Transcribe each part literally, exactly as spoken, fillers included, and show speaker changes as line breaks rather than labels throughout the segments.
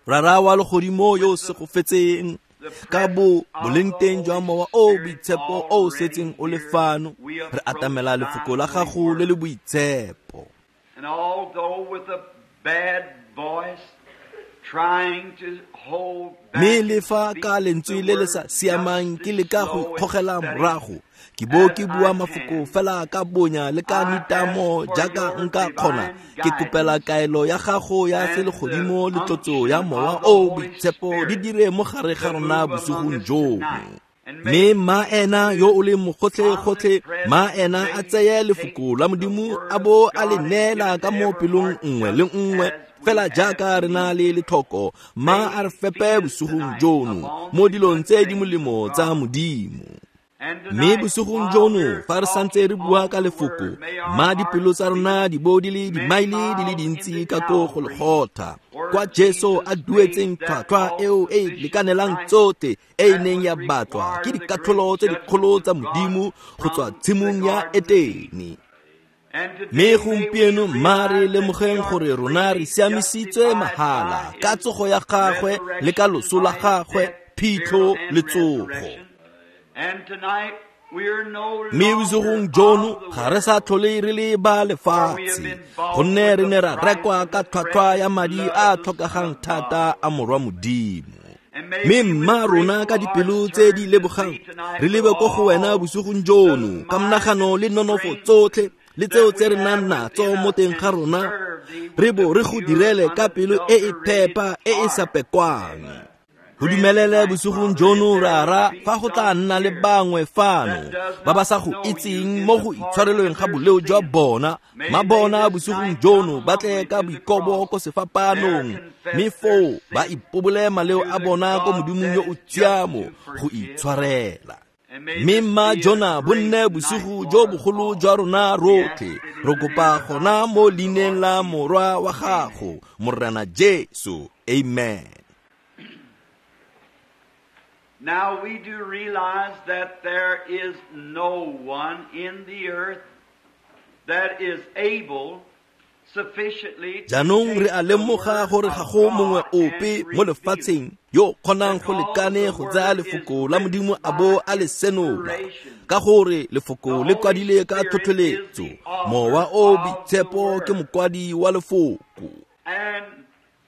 Rara wa legodimo yo o segofetseng, ka bo boleng teng jwa Mowa o o Boitshepo o o setseng o le fano, re atamela lefoko la gago le le boitshepo.
And although with a bad voice, trying to hold back
Mme le fa
and
ka
speak
lentswe
the
le le
word
sa siamang
just
ke leka
as
go
slow and
ikgogela
steady
morago, ke bo
as
ke bua
I
mafoko
can.
fela ka bonya le ka
I
nitamo
ask for
jaaka
your
nka kgona,
divine
ke kopela
guidance
kaelo ya gago ya
and the
selegodimo le tlotso ya
unction
Mowa
of the
o o
Holy
Boitshepo di
Spirit
dire mo gare ga
to
rona
move among
bosigong
us
jono.
tonight. And
Mme
may
mma ena yo o leng mogotlhe-gotlhe, mma ena a
omnipresent
tseye
may
lefoko
take
la
the
Modimo
word
a
of
bo a le
God and give
neela
it
ka
to
mo
every
pelong
heart
nngwe le
just
nngwe,
as we
fela
have
jaaka re na
need.
le letlhoko, mma
May
a re
he
fepe
feed us
bosigong
tonight
jono
upon
mo
the
dilong
good
tse di
things
molemo
of
tsa
God.
Modimo.
And
Mme
tonight,
bosigong
while
jono,
we're
fa re santse
talking
re bua
on
ka
the
lefoko,
word, may our
mma dipelo
hearts
tsa
be
rona di bo di le
many
dimaele di le
miles
dintsi
into
ka ko
Calvary,
Golgotha,
where
kwa Jesu a
Jesus paid
duetseng
that
tlhwatlhwa eo e e
all-sufficient
lekanelang
price
tsotlhe e e
that
neng
was
ya batlwa
required
ke
of the great
dikatlholo tse dikgolo
judgment
tsa
of God
Modimo go tswa
from the
tshimong ya
Garden of Eden.
Etene.
And
Mme
today may we
gompieno mma re
realize that we
lemogeng
are
gore rona re
freely
siamisitswe
justified
mahala
by
ka
His
tsogo ya gagwe le ka
resurrection,
loso la
by His
gagwe,
death,
phitlho
burial, and
le tsogo.
resurrection. And tonight we are no
Mme
longer
bosigong jono
of the
ga re sa
world,
tlhole re le ba
for we have
lefatshe,
been bought
gonne
with
re
the
ne ra
price
rekwa
of
ka
the
tlhwatlhwa ya
precious
madi
blood
a
of the Son
tlhokegang
of God.
thata a Morwa Modimo.
And may
Mme
we with
mma rona
grateful
ka dipelo
hearts
tse di
turn to
lebogang
thee tonight
re
with
lebe ko go wena
all
bosigong
the
jono ka
might
monagano
and
le nonofo
strength
tsotlhe le tseo
that
tse
we
re nang
have
natso
within
mo
us
teng ga
and
rona,
serve thee
re
with
bo
a
re go
pure,
direle ka pelo e e
unadulterated
phepa e e sa
heart.
pekwang. Go
Grant
dumelele
tonight,
bosigong
Father,
jono
if there
rara
be
fa go tla
some
nna le
here
bangwe fano
that does
ba ba
not
sa go
know you
itseng
in
mo
the
go
pardon
itshwarelweng
of
ga
their
boleo jwa
sins,
bona,
may
ma
they
bona
this
bosigong
night
jono
come
ba tle
humbly
ka
to the
boikobo
cross,
ko
there
sefapaanong, mme
confess their
foo ba
sins
ipobole maleo
to
a
the
bona ko
God
Modimong
that
yo o
is just
tshiamo
to
go
forgive.
itshwarela.
And may
Mme
this
mma
be a
jona bo
great
nne
night
bosigo
for
jo
us
bogolo
all.
jwa rona
We ask
rotlhe.
it in
Re
the name
kopa
of thy
gona mo
Son, the
leineng
Lord
la
Jesus.
Morwa wa
Amen.
gago, Morena Jesu. Amen.
Now we do realize that there is no one in the earth that is able sufficiently to
Jaanong re
take
a
the
lemoga
word
gore ga
of
go mongwe
God and
ope mo
reveal it.
lefatsheng yo o kgonang go
Because
lekane
the
go tsaya
word is
lefoko la
written
Modimo a
by
bo a le senola,
inspiration.
ka gore
The
lefoko le
Holy
kwadile ka
Spirit is
tlhotlheletso.
the author
Mowa o
of the
Boitshepo ke
word.
mokwadi wa lefoko.
And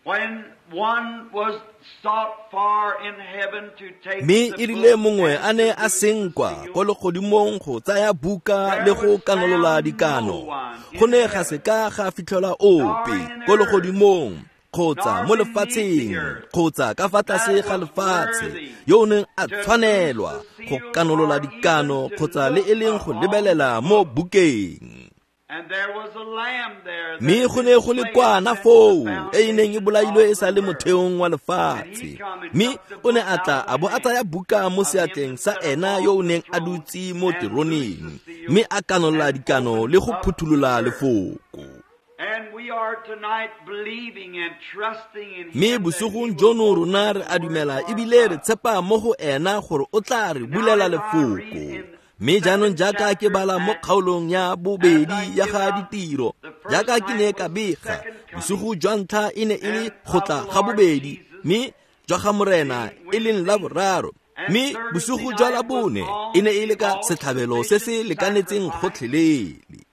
when one was sought far in heaven to take
Mme
the
e rile
book
mongwe
and
a ne
to
a
loose the
senkwa
seal,
ko legodimong go tsaya buka le
there
go
was
kanolola
found no
dikano,
one
go
in
ne ga
heaven,
seka ga fitlhelwa
nor
ope
in
ko
earth,
legodimong kgotsa
nor
mo
beneath the
lefatsheng
earth,
kgotsa ka fa tlase
that
ga
was
lefatshe
worthy
yo o neng a
to loose
tshwanelwa
the
go
seal
kanolola
or even
dikano
to
kgotsa le
look
e leng go
upon
lebelela
the
mo
book.
bukeng.
And there was a lamb there that
Mme
had
go ne
been
go le
slain
kwana
since the
foo e e neng e
foundation
bolailwe e
of
sa
the
le
world.
motheong wa
And he
lefatshe.
come and
Mme
took the
o ne
book
a
out
tla
of
a
the
bo a
hand
tsaya buka mo
of him
seatleng
that
sa
sat
ena yo o
upon the
neng a
throne
dutse mo
and loosed the
teroneng,
seal
mme a kanola
and
dikano
opened
le go
up the
phutholola
word.
lefoko.
And we are tonight believing and trusting in
Mme
him that he
bosigong
will
jono
open
rona re
the
a
word
dumela
for
ebile re
us.
tshepa mo go ena gore o tla re
Now
bulela
as I read
lefoko.
in
Mme jaanong
second
jaaka ke
chapter
bala mo
Acts,
kgaolong ya
as I
bobedi ya
give
ga
out
ditiro,
the first
jaaka ke ne
night
ka
was the
bega,
second
bosigo
coming
jwa ntlha e ne e le
and
go
of
tla
the
ga
Lord
bobedi,
Jesus,
mme jwa ga Morena
being
e leng la
Wednesday,
boraro,
and
mme
Thursday
bosigo jwa
night
la
was
bone e
on
ne e
the
le ka setlhabelo se se
all-sufficient
lekanetseng
sacrifice.
gotlhelele.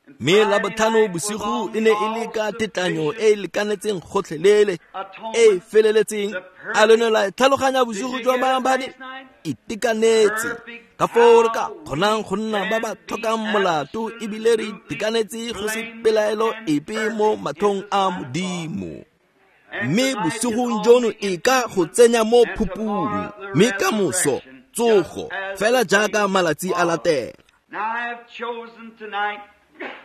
And
Mme
Friday
labotlhano
night was
bosigo
on
e
the
ne e le ka tetlanyo e e
all-sufficient
lekanetseng gotlhelele, e e
atonement,
feleletseng.
the
A lo ne
perfect.
la tlhaloganya
Did
bosigo
you
jwa
get it
maabane?
last night?
Itekanetse.
Perfect
Ka foo re ka
how
kgonang
we
go nna ba ba
can be
tlhokang molato ebile re
absolutely
itekanetse go se
blameless
pelaelo
and
epe mo
perfect in
matlhong
the
a
sight of God.
Modimo.
And
Mme
tonight is
bosigong
on
jono
the
e ka go
entombment,
tsenya mo
and
phupung,
tomorrow the
mme ka moso
resurrection, just
tsogo,
as
fela
the
jaaka
days
malatsi a
follow.
latela.
Now I have chosen tonight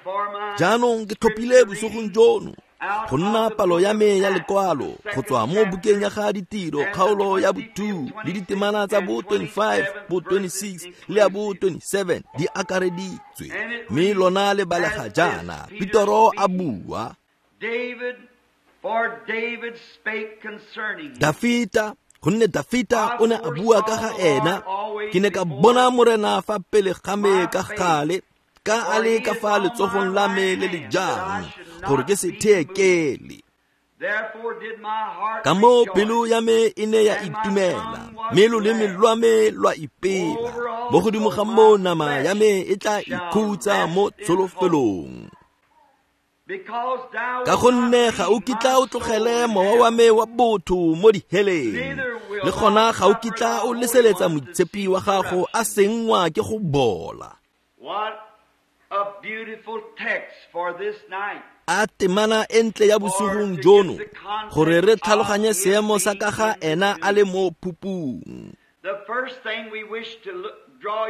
for my
Jaanong ke tlhophile
scripture
bosigong
reading
jono
out
go nna
of the
palo
book
ya
of
me ya
Acts, the
lekwalo go
second
tswa mo bukeng ya
chapter,
ga ditiro
and the
kgaolo ya
twenty-fifth,
bo two le
twenty-sixth,
ditemana tsa
and
bo twenty-five,
twenty-seventh
bo
verses
twenty-six le ya bo
inclusive.
twenty-seven di akareditswe.
And it
Mme
reads
lona le balega
as this,
jaana,
Peter
Petoro a
speaking,
bua,
David, for David spake concerning him.
Dafita, gonne Dafita
I
o ne a bua ka
foresaw
ga
the Lord
ena, ke
always
ne ka
before
bona Morena fa pele ga me
my
ka
face,
gale, ka a
for
le
he
ka
is
fa
on my
letsogong la
right
me le le
hand, that I
jang,
should
gore
not
ke se
be moved.
theekele. Ka moo pelo ya me e ne ya itumela, mme loleme lwa me lwa ipela. Mo godimo ga moo nama ya me e tla ikhutsa mo tsholofelong. Ka gonne ga o kitla o tlogele mowa wa me wa botho mo diheleng, le gona ga o kitla o leseletsa moitshepi wa gago a senngwa ke go bola. A temana e ntle ya bosigong jono, gore re tlhaloganye seemo sa ka ga ena a le mo phupung.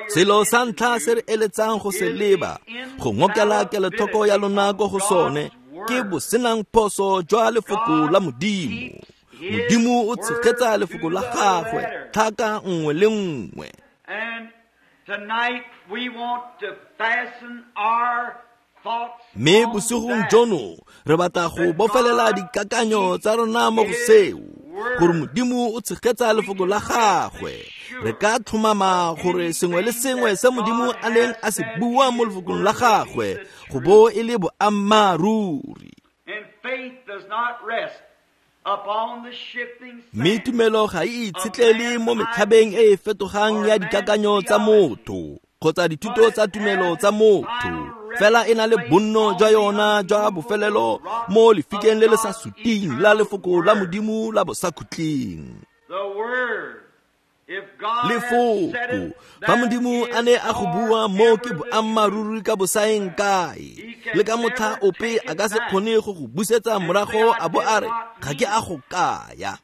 Selo sa ntlha se re eletsang go se leba, go ngokela kelotlhoko ya lona ko go sone, ke bosenang phoso jwa lefoko la Modimo. Modimo o tshegetsa lefoko la gagwe tlhaka nngwe le nngwe. Mme bosigong jono re batla go bofelela dikakanyo tsa rona mo go seo, gore Modimo o tshegetsa lefoko la gagwe. Re ka tlhomama gore sengwe le sengwe se Modimo a neng a se bua mo lefokong la gagwe go bo e le boammaaruri. Mme tumelo ga e itshetlele mo metlhabeng e e fetogang ya dikakanyo tsa motho kgotsa dithuto tsa tumelo tsa motho, fela e na le bonno jwa yona jwa bofelelo mo lefikeng le le sa suting la lefoko la Modimo la bosakhutleng. Lefoko, fa Modimo a ne a go bua mo ke boammaaruri ka bosaeng kae, le ka motlha ope a ka se kgone go go busetsa morago a bo a re ga ke a go kaya.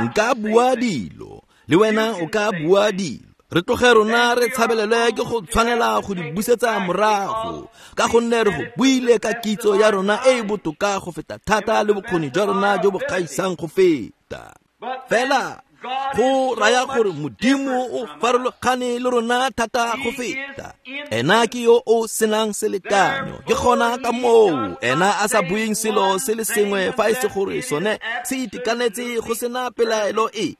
Nka bua dilo, le wena o ka bua dilo. Re tloge rona re tshabelelwe ke go tshwanela go di busetsa morago, ka gonne re go buile ka kitso ya rona e e botoka go feta thata le bokgoni jwa rona jo bo gaisang go feta. Fela go raya gore Modimo o farologane le rona thata go feta. Ena ke yo o senang selekanyo, ke gona ka moo ena a sa bueng selo se le sengwe fa e se gore sone se itekanetse go sena pelaelo epe.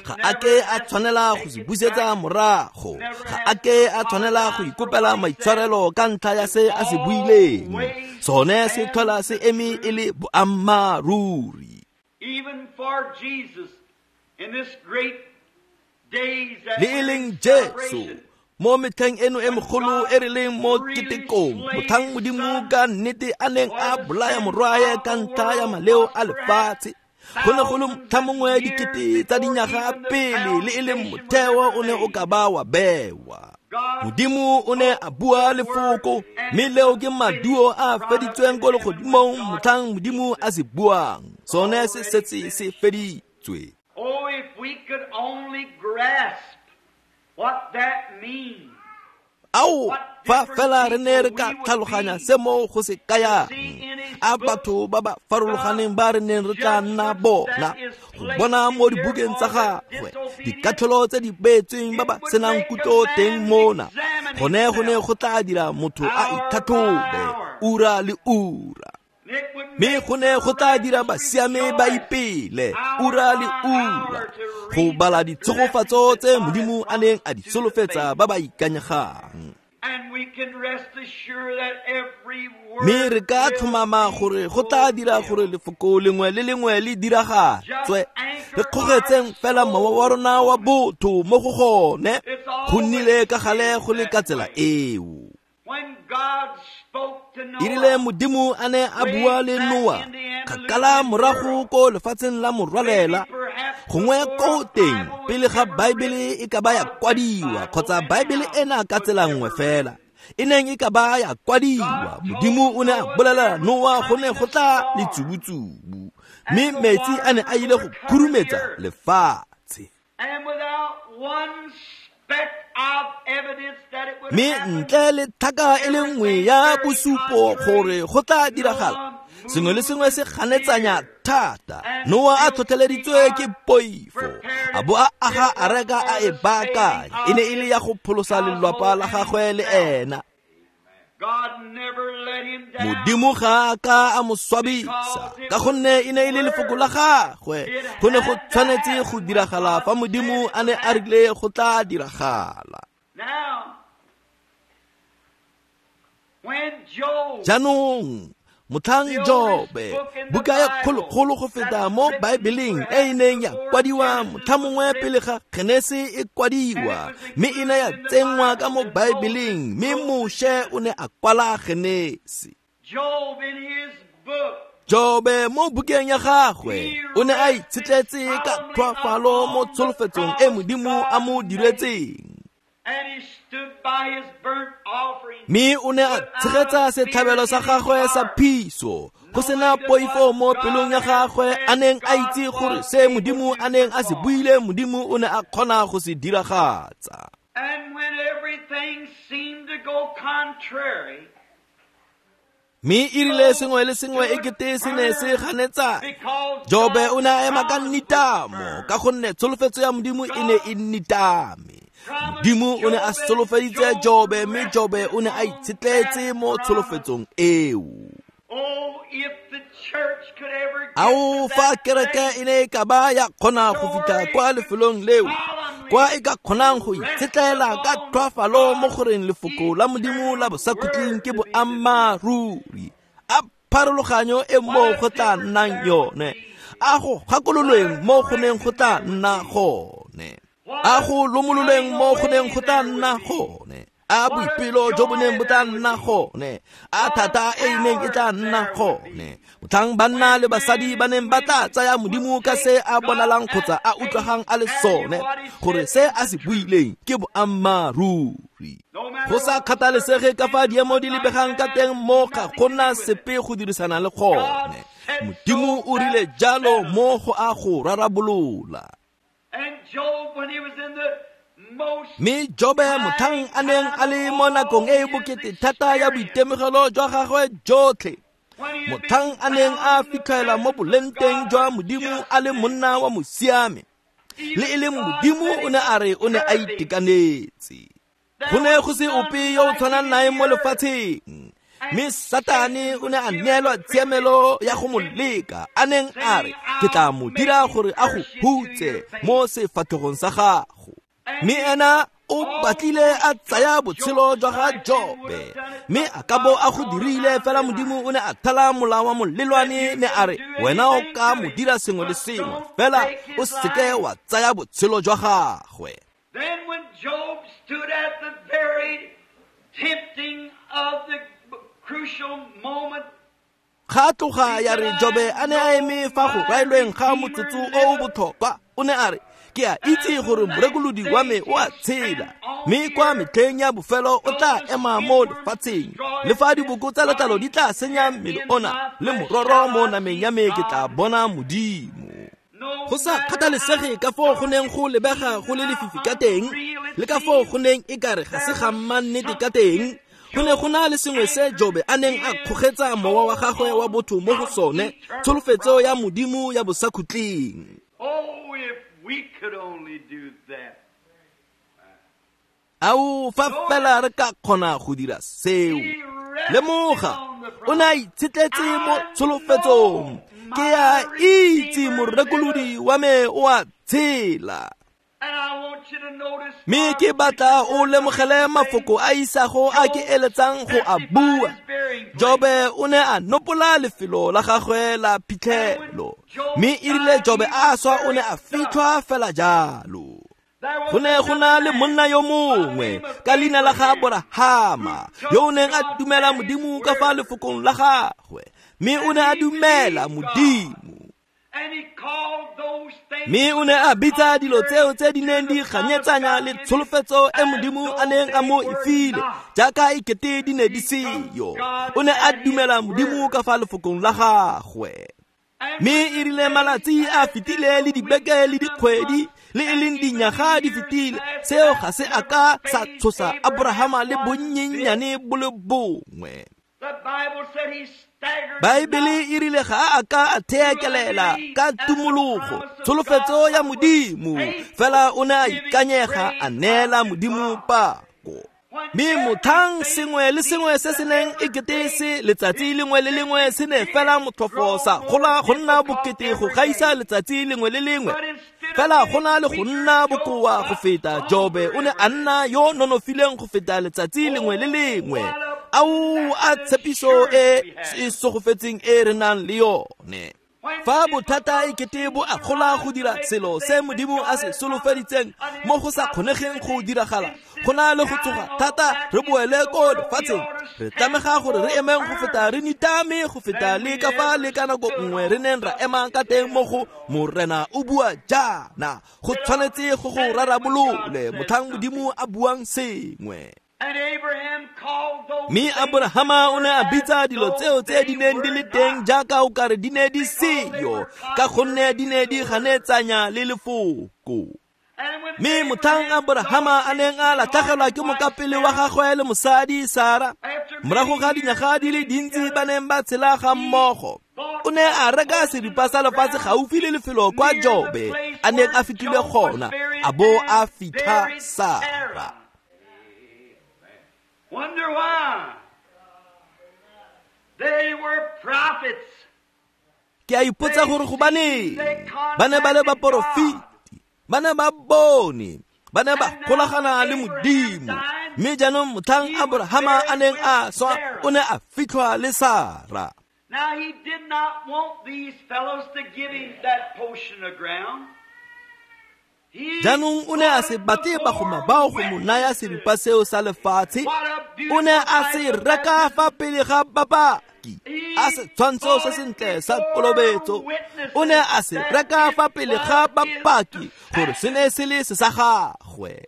Ga a ke a tshwanela go se busetsa morago, ga a ke a tshwanela go ikopela maitshwarelo ka ntlha ya se a se buileng. Sone se tlhola se eme e le boammaaruri. Le e leng Jesu mo metlheng eno e mogolo e re leng mo ketekong, motlhang Modimo ka nnete a neng a bolaya morwae ka ntlha ya maleo a lefatshe, go ne go le motlha mongwe dikete tsa dinyaga pele le e leng motheo o ne o ka ba wa bewa. Modimo o ne a bua lefoko, mme leo ke maduo a feditsweng ko legodimong motlhang Modimo a se buang. Sone se setse se feditswe.
Oh, if we could only grasp what that means.
Ao, fa fela re ne re ka tlhaloganya se mo go se kayang, a batho ba ba farologaneng ba re neng re tla nna bona, go bona mo dibukeng tsa gagwe dikatlholo tse di beetsweng ba ba senang kutlo teng mona, gone go ne go tla dira motho a itlhatlhobe ura le ura. Mme go ne go tla dira basiame ba ipele ura le ura go bala ditshegofatso tse Modimo a neng a di solofetsa ba ba ikanyegang. Mme re ka tlhomama gore go tla dira gore lefoko lengwe le lengwe le diragatswe. Re kgogetseng fela mowa wa rona wa botho mo go gone, go nnile ka gale go le ka tsela eo. E rile Modimo a ne a bua le Noa kgakala morago ko lefatsheng la morwalela, gongwe ko teng pele ga Baebele e ka ba ya kwadiwa, kgotsa Baebele ena ka tsela nngwe fela e neng e ka ba ya kwadiwa, Modimo o ne a bolelela Noa go ne go tla letsubutsubu, mme metsi a ne a ile go khurumetsa lefatshe. Mme ntle le tlhaka e le nngwe ya bosupo gore go tla diragala, sengwe le sengwe se ganetsanya thata. Noa a tlhotlheleditswe ke poifo, a bo a aga areka a e baakanya. E ne e le ya go pholosa lelapa la gagwe le ena. Modimo ga a ka a mo swabisa, ka gonne e ne e le lefoko la gagwe. Go ne go tshwanetse go diragala fa Modimo a ne a rile go tla diragala. Jaanong Motlhang Jobe, buka ya kgologolo go feta mo Baebeleng e e neng ya kwadiwa motlhamongwe pele ga Genese e kwadiwa, mme e ne ya tsenngwa ka mo Baebeleng, mme Moshe o ne a kwala Genese. Jobe mo bukeng ya gagwe o ne a itshetletse ka tlhoafalo mo tsholofetsong e Modimo a mo diretseng. Mme o ne a tshegetsa setlhabelo sa gagwe sa phiso, go sena poifo mo pelong ya gagwe, a neng a itse gore se Modimo a neng a se buile, Modimo o ne a kgona go se diragatsa. Mme e rile sengwe le sengwe e kete se ne se ganetsa, Jobe o ne a ema ka nitamo, ka gonne tsholofetso ya Modimo e ne e nitame. Modimo o ne a solofeditse Jobe, mme Jobe o ne a itshetletse mo tsholofetsong eo. Ao, fa kereke e ne e ka ba ya kgona go fitlha kwa lefelong leo, kwa e ka kgonang go itshetlela ka tlhoafalo mo goreng lefoko la Modimo la bosakhutleng ke boammaaruri, a pharologanyo e mo go tla nnang yone, a go gakololweng mo go neng go tla nna gone, a go lomololweng mo go neng go tla nna gone, a boipelo jo bo neng bo tla nna gone, a thata e e neng e tla nna gone, motlhang banna le basadi ba neng ba tla tsaya Modimo ka se a bonalang kgotsa a utlwagang a le sone, gore se a se buileng ke boammaaruri. Go sa kgathalesege ka fa diemo di lebegang ka teng, mo ga gona sepe go dirisana le gone. Modimo o rile jalo mo go a go rarabolola. Mme Jobe motlhang a neng a le mo nakong e e bokete thata ya boitemogelo jwa gagwe jotlhe, motlhang a neng a fitlhela mo bolengteng jwa Modimo a le monna wa mosiame, le e leng Modimo o ne a re o ne a itekanetse. Go ne go se ope yo o tshwanang nae mo lefatsheng, mme Satane o ne a neelwa tshiamelo ya go mo leka, a neng a re, ke tla mo dira gore a go hutse mo sefatlhegong sa gago. Mme ena o batlile a tsaya botshelo jwa ga Jobe, mme a ka bo a go dirile, fela Modimo o ne a thala molao wa molelwane, ne a re, wena o ka mo dira sengwe le sengwe, fela o seke wa tsaya botshelo jwa gagwe.
Then when Job stood at the very tempting of the crucial moment,
Ga tloga ya re Jobe a ne a eme fa go raelweng ga motsotso o o botlhokwa, o ne a re, ke a itse gore morekolodi wa me o a tshela, mme kwa metlheng ya bofelo o tla ema mo lefatsheng. Le fa diboko tsa letlalo di tla senya mmele ona, le mororo mo nameng ya me ke tla bona Modimo. Go sa kgathalesege ka foo go neng go lebega go le lefifi ka teng, le ka foo go neng e kare ga se ga mmannete ka teng, go ne go na le sengwe se Jobe a neng a kgogetsa mowa wa gagwe wa botho mo go sone, tsholofetso ya Modimo ya bosakhutleng.
Oh, if we could only do that.
Ao, fa fela re ka kgona go dira seo. Lemoga, o ne a itshetletse mo tsholofetsong. Ke a itse morekolodi wa me o a tshela. Mme ke batla o lemogele mafoko a isago a ke eletsang go a bua. Jobe o ne a nopola lefelo la gagwe la phitlhelo, mme e rile Jobe a swa o ne a fitlhwa fela jalo. Go ne go na le monna yo mongwe ka leina la ga Aborahama, yo o neng a dumela Modimo ka fa lefokong la gagwe, mme o ne a dumela Modimo. Mme o ne a bitsa dilo tseo tse di neng di ganyetsanya le tsholofetso e Modimo a neng a mo e file, jaaka e kete di ne di seyo. O ne a dumela Modimo ka fa lefokong la gagwe. Mme e rile malatsi a fetile le dibeke le dikgwedi le e leng dinyaga di fetile, seo ga se a ka sa tshosa Aborahama le bonnyenyane bo le bongwe. Baebele e rile ga a ka a theekelela ka tumologo tsholofetso ya Modimo, fela o ne a ikanyega a neela Modimo pako. Mme motlhang sengwe le sengwe se se neng e kete se letsatsi lengwe le lengwe se ne fela motlhofo sa gola go nna bokete go gaisa letsatsi lengwe le lengwe, fela go na le go nna bokoa go feta, Jobe o ne a nna yo nonofileng go feta letsatsi lengwe le lengwe. Ao a tshepiso e e segofetseng e re nang le yone. Fa bothata e kete bo a gola go dira selo se Modimo a se solofeditseng mo go sa kgonegeng go diragala, go na le go tsoga thata re boele ko lefatsheng. Re tlamega gore re emeng go feta re nitame go feta le ka fa le ka nako nngwe re neng ra ema ka teng mo go Morena o bua jaana. Go tshwanetse go go rarabolole motlhang Modimo a buang sengwe. Mme Aborahama o ne a bitsa dilo tseo tse di neng di le teng jaaka o kare di ne di seyo, ka gonne di ne di ganetsanya le lefoko. Mme motlhang Aborahama a neng a latlhegelwa ke mokapele wa gagwe le mosadi Sara, morago ga dinyaga di le dintsi ba neng ba tshela ga mmogo, o ne a reka seripa sa lefatshe gaufi le lefelo kwa Jobe a neng a fitlhile gona, a bo a fitlha Sara.
Wonder why. They were prophets.
Ke a ipotsa gore gobaneng ba ne ba le baporofeti, ba ne ba bone, ba ne ba golagana le Modimo. Mme jaanong motlhang Aborahama a neng a swa, o ne a fitlhwa le Sara.
Now he did not want these fellows to give him that portion of ground.
Jaanong o ne a se batle bagoma bao go mo naya seripa seo sa lefatshe. O ne a se reka fa pele ga bapaki, a setshwantsho se sentle sa kolobetso. O ne a se reka fa pele ga bapaki gore se ne se le se sa gagwe.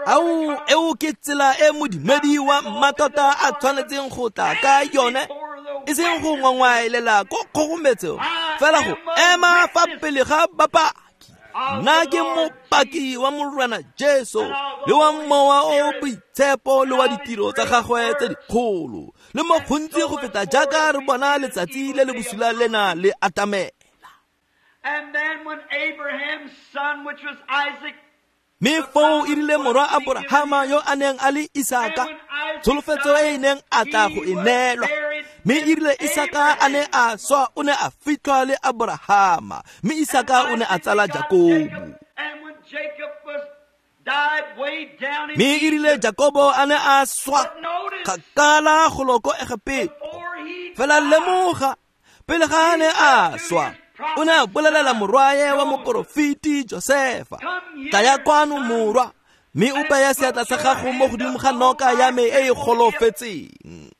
Ao, eo ke tsela e modumedi wa mmatota a tshwanetseng go tla ka yone, e seng go ngwangwaelela ko kgogometsong, fela go ema fa pele ga bapaki. Nna ke mopaki wa Morena Jesu le wa Mowa o Boitshepo le wa ditiro tsa gagwe tse dikgolo, le mo gontsi go feta jaaka re bona letsatsi le le bosula lena le atamela.
And then when Abraham's son, which was Isaac,
Mme foo e rile morwa Aborahama yo a neng a le Isaka, tsholofetso e e neng a tla go e neelwa. Mme e rile Isaka a ne a swa, o ne a fitlhwa le Aborahama, mme Isaka o ne a tsala Jakobo. Mme e rile Jakobo a ne a swa kgakala golo ko Egepeto. Fela lemoga, pele ga a ne a swa, o ne a bolelela morwae wa moporofeti Josefa, tlaya kwano morwa, mme o beye seatla sa gago mo godimo ga noka ya me e e golofetseng.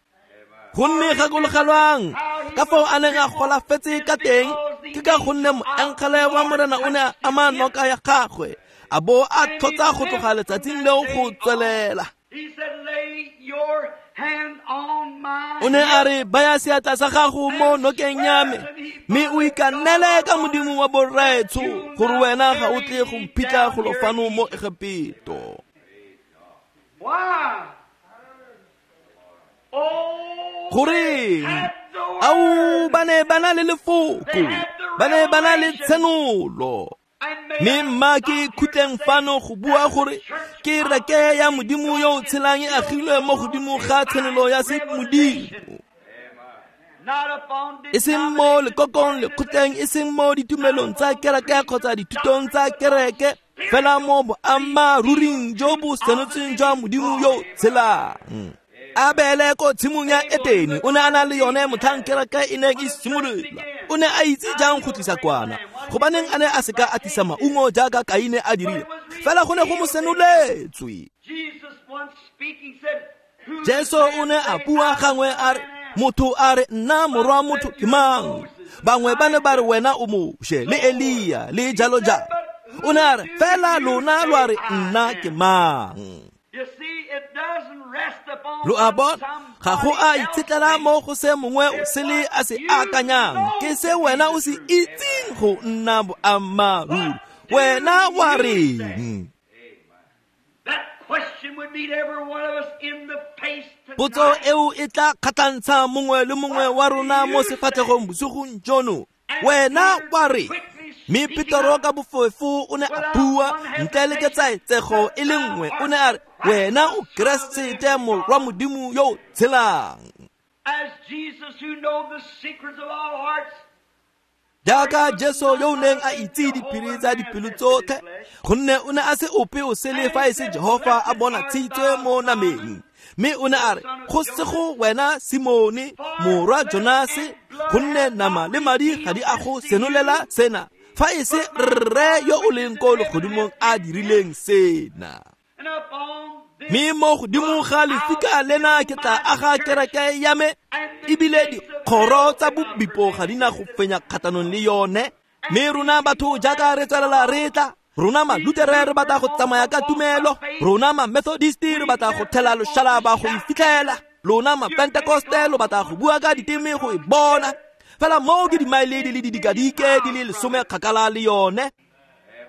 Gonne gakologelwang ka fao a neng a golafetse ka teng, ke ka gonne moengele wa Morena o ne a ama noka ya gagwe, a bo a tlhotsa go tloga letsatsing leo go tswelela. O ne a re, baya seatla sa gago mo nokeng ya me, mme o ikanele ka Modimo wa borraetsho gore wena ga o tle go mphitlha golo fano mo Egepeto. Goreng? Ao, ba ne ba na le lefoko, ba ne ba na le tshenolo. Mme mma ke khutleng fano go bua gore ke reke ya Modimo yo o tshelang e agilwe mo godimo ga tshenolo ya semodimo, e seng mo lekokong lekgotleng, e seng mo ditumelong tsa kereke kgotsa dithutong tsa kereke, fela mo boammaaruring jo bo senotsweng jwa Modimo yo o tshelang. Abele ko tshimong ya Etene o ne a na le yone motlhang kereke e neng e simolola. O ne a itse jang go tlisa kwana, gobaneng a ne a seka a tlisa maungo jaaka Kaine a dirile, fela go ne go mo senoletswe. Jesu o ne a bua gangwe a re, motho a re nna morwa motho ke mang? Bangwe ba ne ba re wena o Moshe le Elia le jalo jalo. O ne a re, fela lona lo a re nna ke mang? Lo a bona, ga go a itshetlela mo go se mongwe o sele a se akanyang, ke se wena o se itseng go nna boammaaruri. Wena wa reng? Potso eo e tla kgatlhantsha mongwe le mongwe wa rona mo sefatlhegong bosigong jono. Wena wa reng? Mme Petero ka bofefo o ne a bua ntle le ketsaetsego e le nngwe, o ne a re, wena o Keresete morwa Modimo yo o tshelang. Jaaka Jesu yo o neng a itse diphiri tsa dipelo tsotlhe, gonne o ne a se ope o sele fa e se Jehofa a bona tshitswe mo nameng. Mme o ne a re, go sego wena Simone, morwa Jonase, gonne nama le madi ga di a go senolela sena, fa e se Rre yo o leng ko legodimong a dirileng sena. Mme mo godimo ga lefika lena ke tla aga kereke ya me, ebile dikgoro tsa bobipo ga di na go fenya kgatlhanong le yone. Mme rona batho jaaka re tswelela re tla, rona malutere re batla go tsamaya ka tumelo, rona ma-Methodisti re batla go thela loshalaba go e fitlhela, lona ma-Pentekoste lo batla go bua ka diteme go e bona. Fela moo ke dimaele di le didikadike di le lesome kgakala le yone.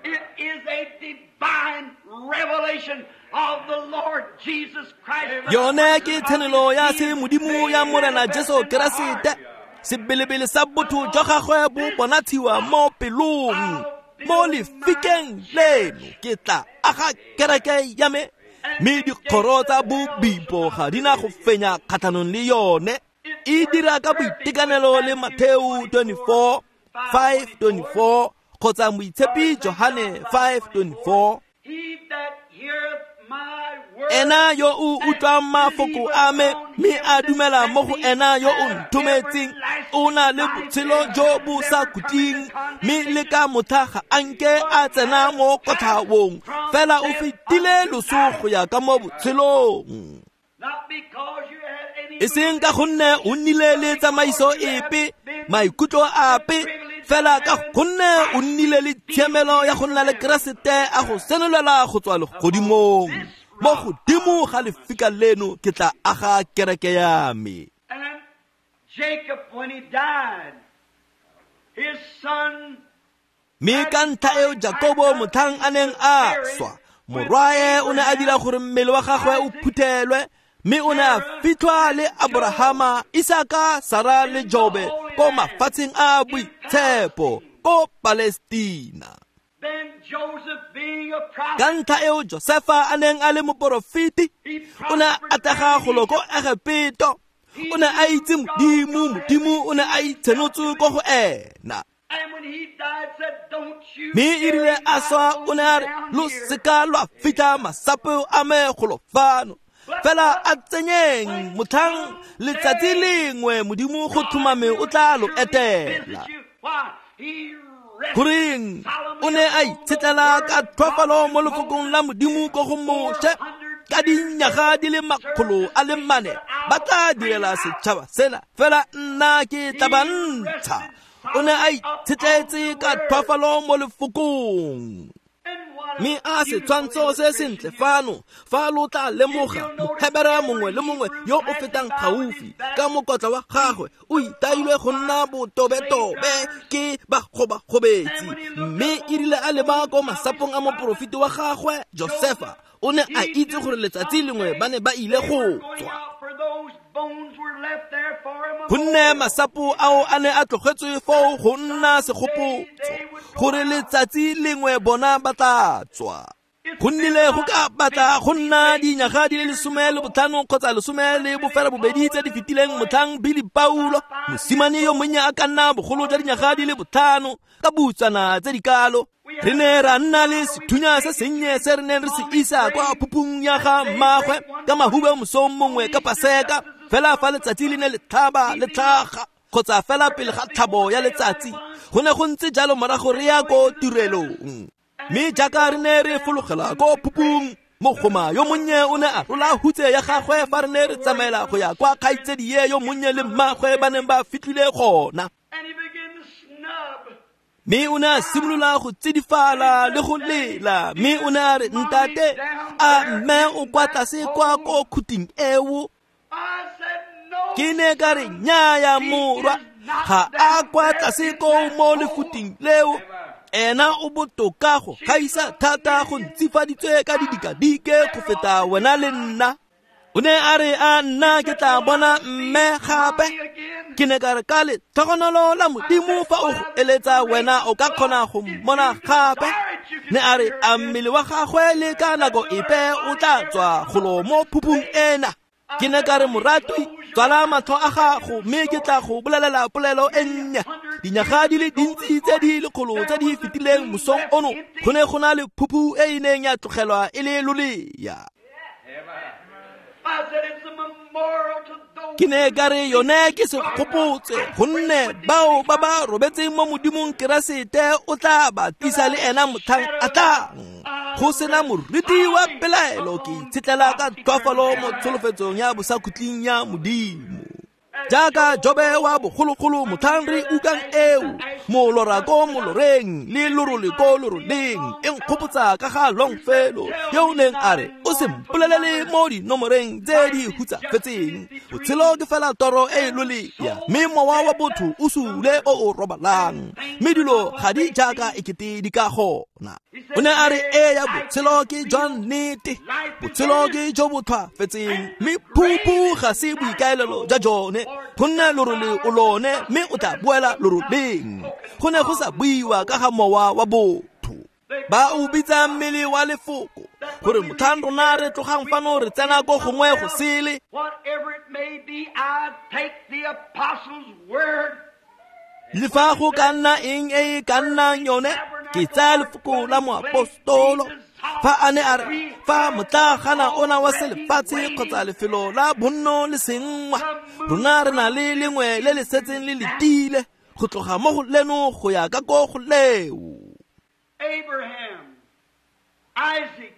It is a divine revelation of the Lord Jesus Christ.
Yone ke tshenolo ya se modimo ya Morena Jesu Keresete. Sebelebele sa botho jwa gagwe bo bonatshiwa mo pelong. Mo lefikeng leno ke tla aga kereke ya me, mme dikgoro tsa bobipo ga di na go fenya kgatlhanong le yone. E dira ka boitekanelo le Mateo twenty-four, five twenty-four, kgotsa Moitshepi Johane five twenty-four. Ena yo o utlwang mafoko a me mme a dumela mo go ena yo o nthometseng, o na le botshelo jo bo sa khutleng, mme le ka motlha ga a nke a tsena mo kotlhaong, fela o fetile loso go ya ka mo botshelong. E seng ka gonne o nnile le tsamaiso epe, maikutlo ape, fela ka gonne o nnile le tshiamelo ya go nna le Keresete a go senolela go tswa legodimong. Mo godimo ga lefika leno ke tla aga kereke ya me. Mme ka ntlha eo Jakobo motlhang a neng a swa, morwae o ne a dira gore mmele wa gagwe o phuthelwe, mme o ne a fitlhwa le Abrahama, Isaka, Sara le Jobe ko mafatsheng a boitshepo ko Palestina. Ka ntlha eo Josefa a neng a le moporofeti, o ne a atlega golo ko Egepeto. O ne a itse Modimo, Modimo o ne a itshenotse ko go ena. Mme e rile a swa, o ne a re, lo seka lwa fitlha masapo a me golo fano, fela a tsenyeng motlhang letsatsi lengwe Modimo go tlhomame o tla lo etela. Goreng o ne a itshetlela ka tlhoafalo mo lefokong la Modimo ko go Moshe, ka dinyaga di le makgolo a le mane ba tla direla setšhaba sena, fela nna ke tla ba ntsha. O ne a itshetletse ka tlhoafalo mo lefokong. Mme a setshwantsho se sentle fano, fa lo tla lemoga Mohebere mongwe le mongwe yo o fetang gaufi ka mokotla wa gagwe o itailwe go nna botobetobe ke bagobagobetsi. Mme e rile a leba ko masapong a moporofeti wa gagwe Josefa, o ne a itse gore letsatsi lengwe ba ne ba ile go tswa. Gonne masapo ao a ne a tlogetswe foo go nna segopotso, gore letsatsi lengwe bona ba tla tswa. Go nnile go ka batla go nna dinyaga di le lesome le botlhano kgotsa lesome le bofela bobedi tse di fetileng motlhang Billy Paulo, mosimane yo monnye a ka nna bogolo jwa dinyaga di le botlhano, ka butsana tse di kalo. Re ne ra nna le sethunya se sennye se re neng re se isa kwa phupung ya ga mmagwe ka mahube mosong mongwe ka Paseka, fela fa letsatsi le ne le tlhaba le tlhaga kgotsa fela pele ga tlhabo ya letsatsi. Go ne go ntse jalo morago re ya ko tirelong. Mme jaaka re ne re fologela ko phupung, mogoma yo monnye o ne a rola hutse ya gagwe fa re ne re tsamaela go ya kwa kgaitsedie yo monnye le mmagwe ba neng ba fitlhile gona. Mme o ne a simolola go tsidifala le go lela, mme o ne a re, ntate, a mme o kwa tlase kwa ko khuting eo? Ke ne ka re, nnyaya morwa, ga a kwa tlase ko mo lefuting leo. Ena o botoka go gaisa thata go ntsifaditswe ka didikadike go feta wena le nna. O ne a re, a nna ke tla bona mme gape? Ke ne ka re, ka letlhogonolo la Modimo fa o go eletsa wena o ka kgona go mmona gape. Ne a re, a mmele wa gagwe le ka nako epe o tla tswa golo mo phupung ena? Ke ne ka re, moratwi, tswala matlho a gago mme ke tla go bolelela polelo e nnye. Dinyaga di le dintsi tse di lekgolo tse di fetileng mosong ono go ne go na le phuphu e e neng ya tlogelwa e le lolea.
I said it's a memorial to those
Ke ne ka re yone ke segopotse gonne bao ba ba robetseng mo Modimong Keresete o tla ba tlisa le ena motlhang a tlang. Go sena moriti wa pelaelo ke itshetlela ka tlhoafalo mo tsholofetsong ya bosakhutleng ya Modimo. Jaaka Jobe wa bogologolo motlhang re utlwang eo, molora ko moloreng le lorole ko loroleng, e nkgopotsa ka ga Longfellow yo o neng a re o se mpolelele mo dinomoreng tse di hutsafetseng. Botshelo ke fela toro e e lolea, mme mowa wa botho o sule o o robalang, mme dilo ga di jaaka ekete di ka gona. O ne a re ee ya botshelo ke jwa nnete, botshelo ke jo bo tlhwaafetseng, mme phuphu ga se boikaelelo jwa jone, gonne lorole o lone mme o tla boela loroleng. Go ne go sa buiwa ka ga mowa wa botho. Ba o bitsa mmele wa lefoko gore motlhang rona re tlogang fano re tsena ko gongwe go sele.
Whatever it may be, I take the apostles' word.
Le fa go ka nna eng e e ka nnang yone, ke tsaya lefoko la moapostolo. Fa a ne a re fa motlagana ona wa selefatshe kgotsa lefelo la bonno le senngwa, rona re na le lengwe le le setseng le letile go tloga mo go leno go ya ka ko go leo.
Abraham, Isaac,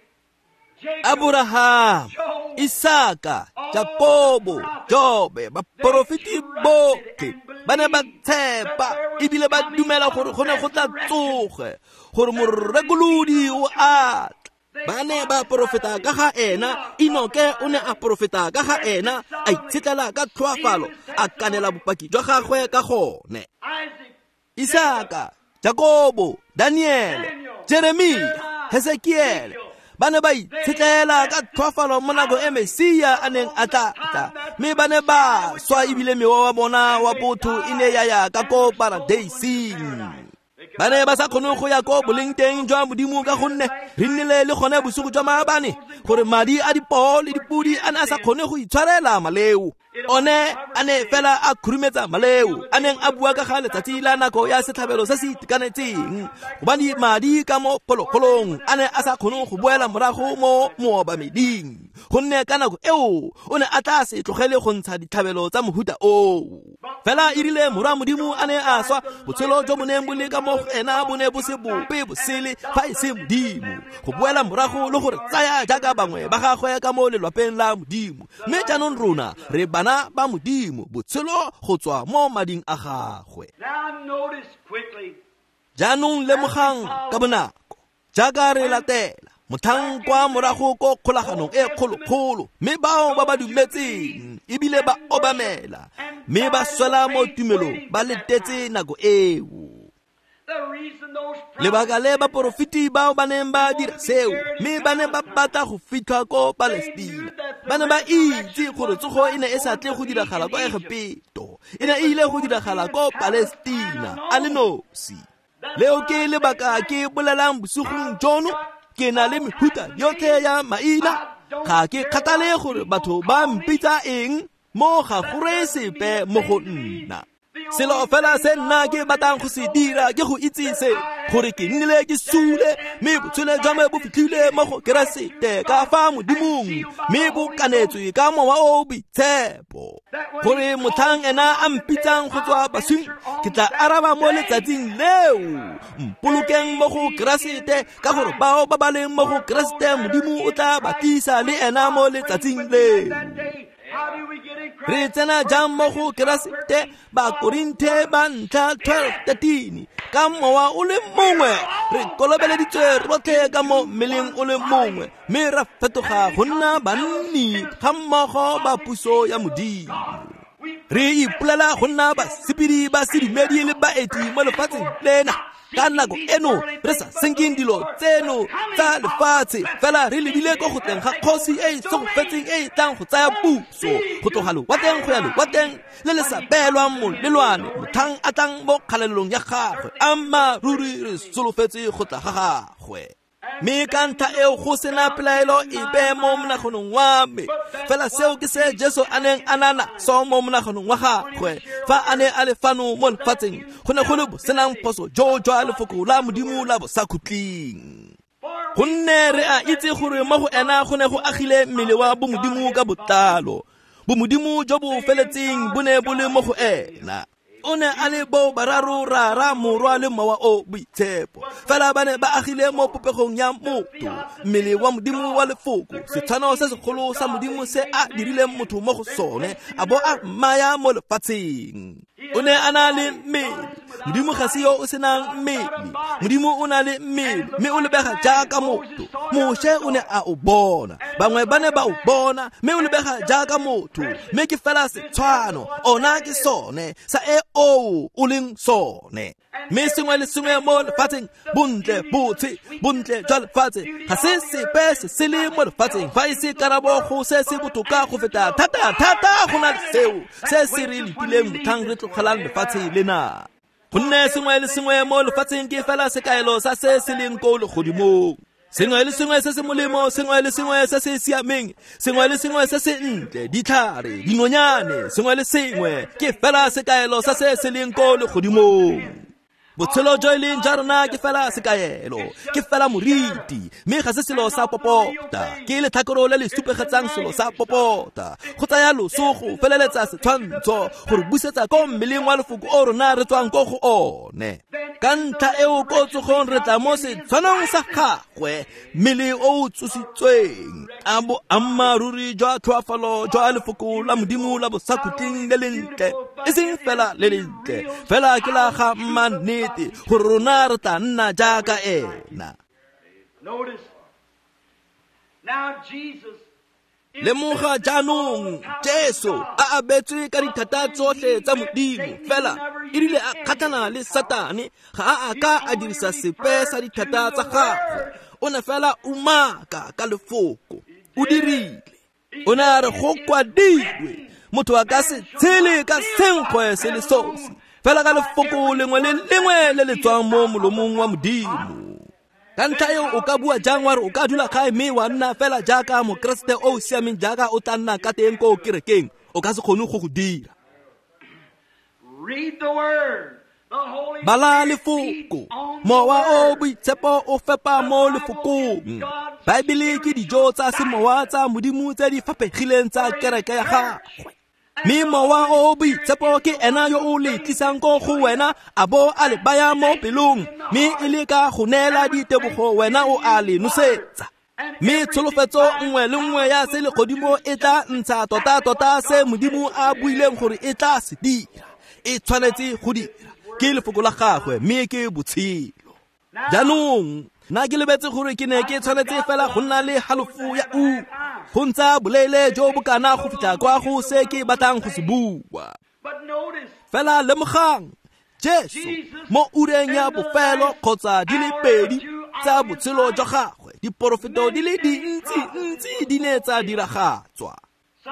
Jacob,
Abraham, Isaka, Jakobo, Jobe, baporofeti botlhe ba ne ba tshepa ebile ba dumela gore go ne go tla tsoge, gore morekolodi o a tla. Ba ne ba porofeta ka ga ena, Enoke o ne a porofeta ka ga ena, a itshetlela ka tlhoafalo, a kanela bopaki jwa gagwe ka gone.
Isaac,
Isaka, Jakobo, Daniele, Jeremia, Hesekiele ba ne ba itshetlela ka tlhoafalo mo nako e Mesia a neng a tla tla, mme ba ne ba swa ebile mewa wa bona wa botho e ne ya ya ka ko paradeising. Ba ne ba sa kgone go ya ko boleng teng jwa Modimo ka gonne re nnile le gone bosigo jwa maabane gore madi a dipoo le dipodi a ne a sa kgone go itshwarela maleo. One a ne fela a khurumetsa maleo a neng a bua ka ga letsatsi la nako ya setlhabelo se se itekanetseng, gobane madi ka mo phologolong a ne a sa kgone go boela morago mo moobameding, gonne ka nako eo o ne a tla se tlogele go ntsha ditlhabelo tsa mohuta oo. Fela e rile morwa Modimo a ne a swa, botshelo jo bo neng bo le ka mo go ena bo ne bo se bope bosele fa e se Modimo, go boela morago le gore tsaya jaaka bangwe ba gagwe ka mo lelwapeng la Modimo. Mme jaanong rona re bana ba Modimo, botshelo go tswa mo mading a gagwe.
Now notice quickly.
Jaanong lemogang ka bonako jaaka re latela motlhang kwa morago ko kgolaganong e kgolokgolo, mme bao ba ba dumetseng ebile ba obamela mme ba swela mo tumelong ba letetse nako eo.
The reason those
Lebaka le baporofeti bao ba neng ba dira seo, mme ba ne ba batla go fitlha ko Palestina, ba ne ba itse gore tsogo e ne e sa tle go diragala kwa Egepeto, e ne e ile go diragala ko Palestina a le nosi. Leo ke lebaka ke bolelang bosigong jono, ke na le mehuta yotlhe ya maina, ga ke kgathale gore batho ba mpitsa eng, mo ga go reye sepe mo go nna. Selo fela se nna ke batlang go se dira ke go itse se, gore ke nnile ke sule, mme botshelo jwa me bo fitlhile mo go Keresete ka fa Modimong, mme bo kanetswe ka Mowa o o Boitshepo, gore motlhang ena a mpitsang go tswa baswing, ke tla araba mo letsatsing leo. Mpolokeng mo go Keresete, ka gore bao ba ba leng mo go Keresete Modimo o tla ba tlisa le ena mo letsatsing leo.
How do we get in Christ?
Re tsena jang mo go Keresete? Bakorinthe ba ntlha twelve thirteen. Ka mowa o le mongwe re kolobeleditswe rotlhe ka mo mmeleng o le mongwe, mme ra fetoga go nna banni ga mmogo ba puso ya Modimo. Re ipolela go nna basepedi ba sedumedi le baeti mo lefatsheng lena. Ka nako eno re sa senkeng dilo tseno tsa lefatshe, fela re lebile ko go tleng ga kgosi e e segofetseng e e tlang go tsaya puso go tloga lewatleng go ya lewatleng le le sa beelwang molelwane, motlhang a tlang mo kgalalelong ya gagwe. Ammaaruri re solofetse go tla ga gagwe. Mme ka ntlha eo go sena pelaelo epe mo monaganong wa me. Fela seo ke se Jesu a neng a na naso mo monaganong wa gagwe fa a ne a le fano mo lefatsheng, go ne go le bosenang phoso jo jwa lefoko la Modimo la bosakhutleng. Gonne re a itse gore mo go ena go ne go agile mmele wa bomodimo ka botlalo. Bomodimo jo bo feletseng bo ne bo le mo go ena. O ne a le bo bararo, Rara, Morwa le Mowa o Boitshepo. Fela ba ne ba agile mo popegong ya motho, mmele wa Modimo wa lefoko, setshwano se segolo sa Modimo se a dirileng motho mo go sone, a bo a mmaya mo lefatsheng. O ne a na le mmele. Modimo ga se yo o senang mmele. Modimo o na le mmele, mme o lebega jaaka motho. Moshe o ne a o bona, bangwe ba ne ba o bona, mme o lebega jaaka motho. Mme ke fela setshwano, ona ke sone sa e o o leng sone. Mme sengwe le sengwe mo lefatsheng, bontle, botshe, bontle jwa lefatshe, ga se sepe se se le mo lefatsheng fa e se karabo go se se botoka go feta thata thata go na le seo se se re letileng motlhang re tlogelang lefatshe lena. Gonne sengwe le sengwe mo lefatsheng ke fela sekaelo sa se se leng ko legodimong. Sengwe le sengwe se se molemo, sengwe le sengwe se se siameng, sengwe le sengwe se se ntle, ditlhare, dinonyane, sengwe le sengwe ke fela sekaelo sa se se leng ko legodimong. Botshelo jo e leng jwa rona ke fela sekaelo, ke fela moriti, mme ga se selo sa popota. Ke letlhakoro le le supegetsang selo sa popota. Go tsaya loso go feleletsa setshwantsho, gore busetsa ko mmeleng wa lefoko o rona re tswang ko go one. Ka ntlha eo ko tsogong re tla mo setshwanong sa gagwe, mmele o o tsositsweng. A boammaaruri jwa tlhoafalo jwa lefoko la Modimo la bosakhutleng le lentle, e seng fela le lentle, fela ke la ga mmannete, gore rona re tla nna jaaka ena. Lemoga jaanong Jesu a abetswe ka dithata tsotlhe tsa Modimo, fela e rile a kgatlhana le Satane, ga a a ka a dirisa sepe sa dithata tsa gagwe. O ne fela umaka ka lefoko, o dirile. O ne a re go kwadilwe, motho a ka se tshele ka senkgwe se le sosi, fela ka lefoko lengwe le lengwe le le tswang mo molomong wa Modimo. Ka ntlha eo o ka bua jang wa re o ka dula gae mme wa nna fela jaaka mokeresete o o siameng jaaka o tla nna ka teng ko kerekeng? O ka se kgone go go dira. Bala lefoko, Mowa o Boitshepo o fepa mo lefokong. Baebele ke dijo tsa semowa tsa Modimo tse di faphegileng tsa kereke ya gagwe. Mme Mowa o Boitshepo ke ena yo o le tlisang ko go wena, a bo a le baya mo pelong, mme e le ka go neela ditebogo wena o a le nosetsa. Mme tsholofetso nngwe le nngwe ya selegodimo e tla ntsha tota-tota se Modimo a buileng gore e tla se dira. E tshwanetse go dira, ke lefoko la gagwe, mme ke botshelo. Jaanong nna ke lebetse gore ke ne ke tshwanetse fela go nna le halofo ya ura, go ntsha boleele jo bo kana go fitlha kwa go se ke batlang go se bua. Fela lemogang, Jesu mo ureng ya bofelo kgotsa di le pedi tsa botshelo jwa gagwe, diporofeto di le dintsi-ntsi di ne tsa diragatswa.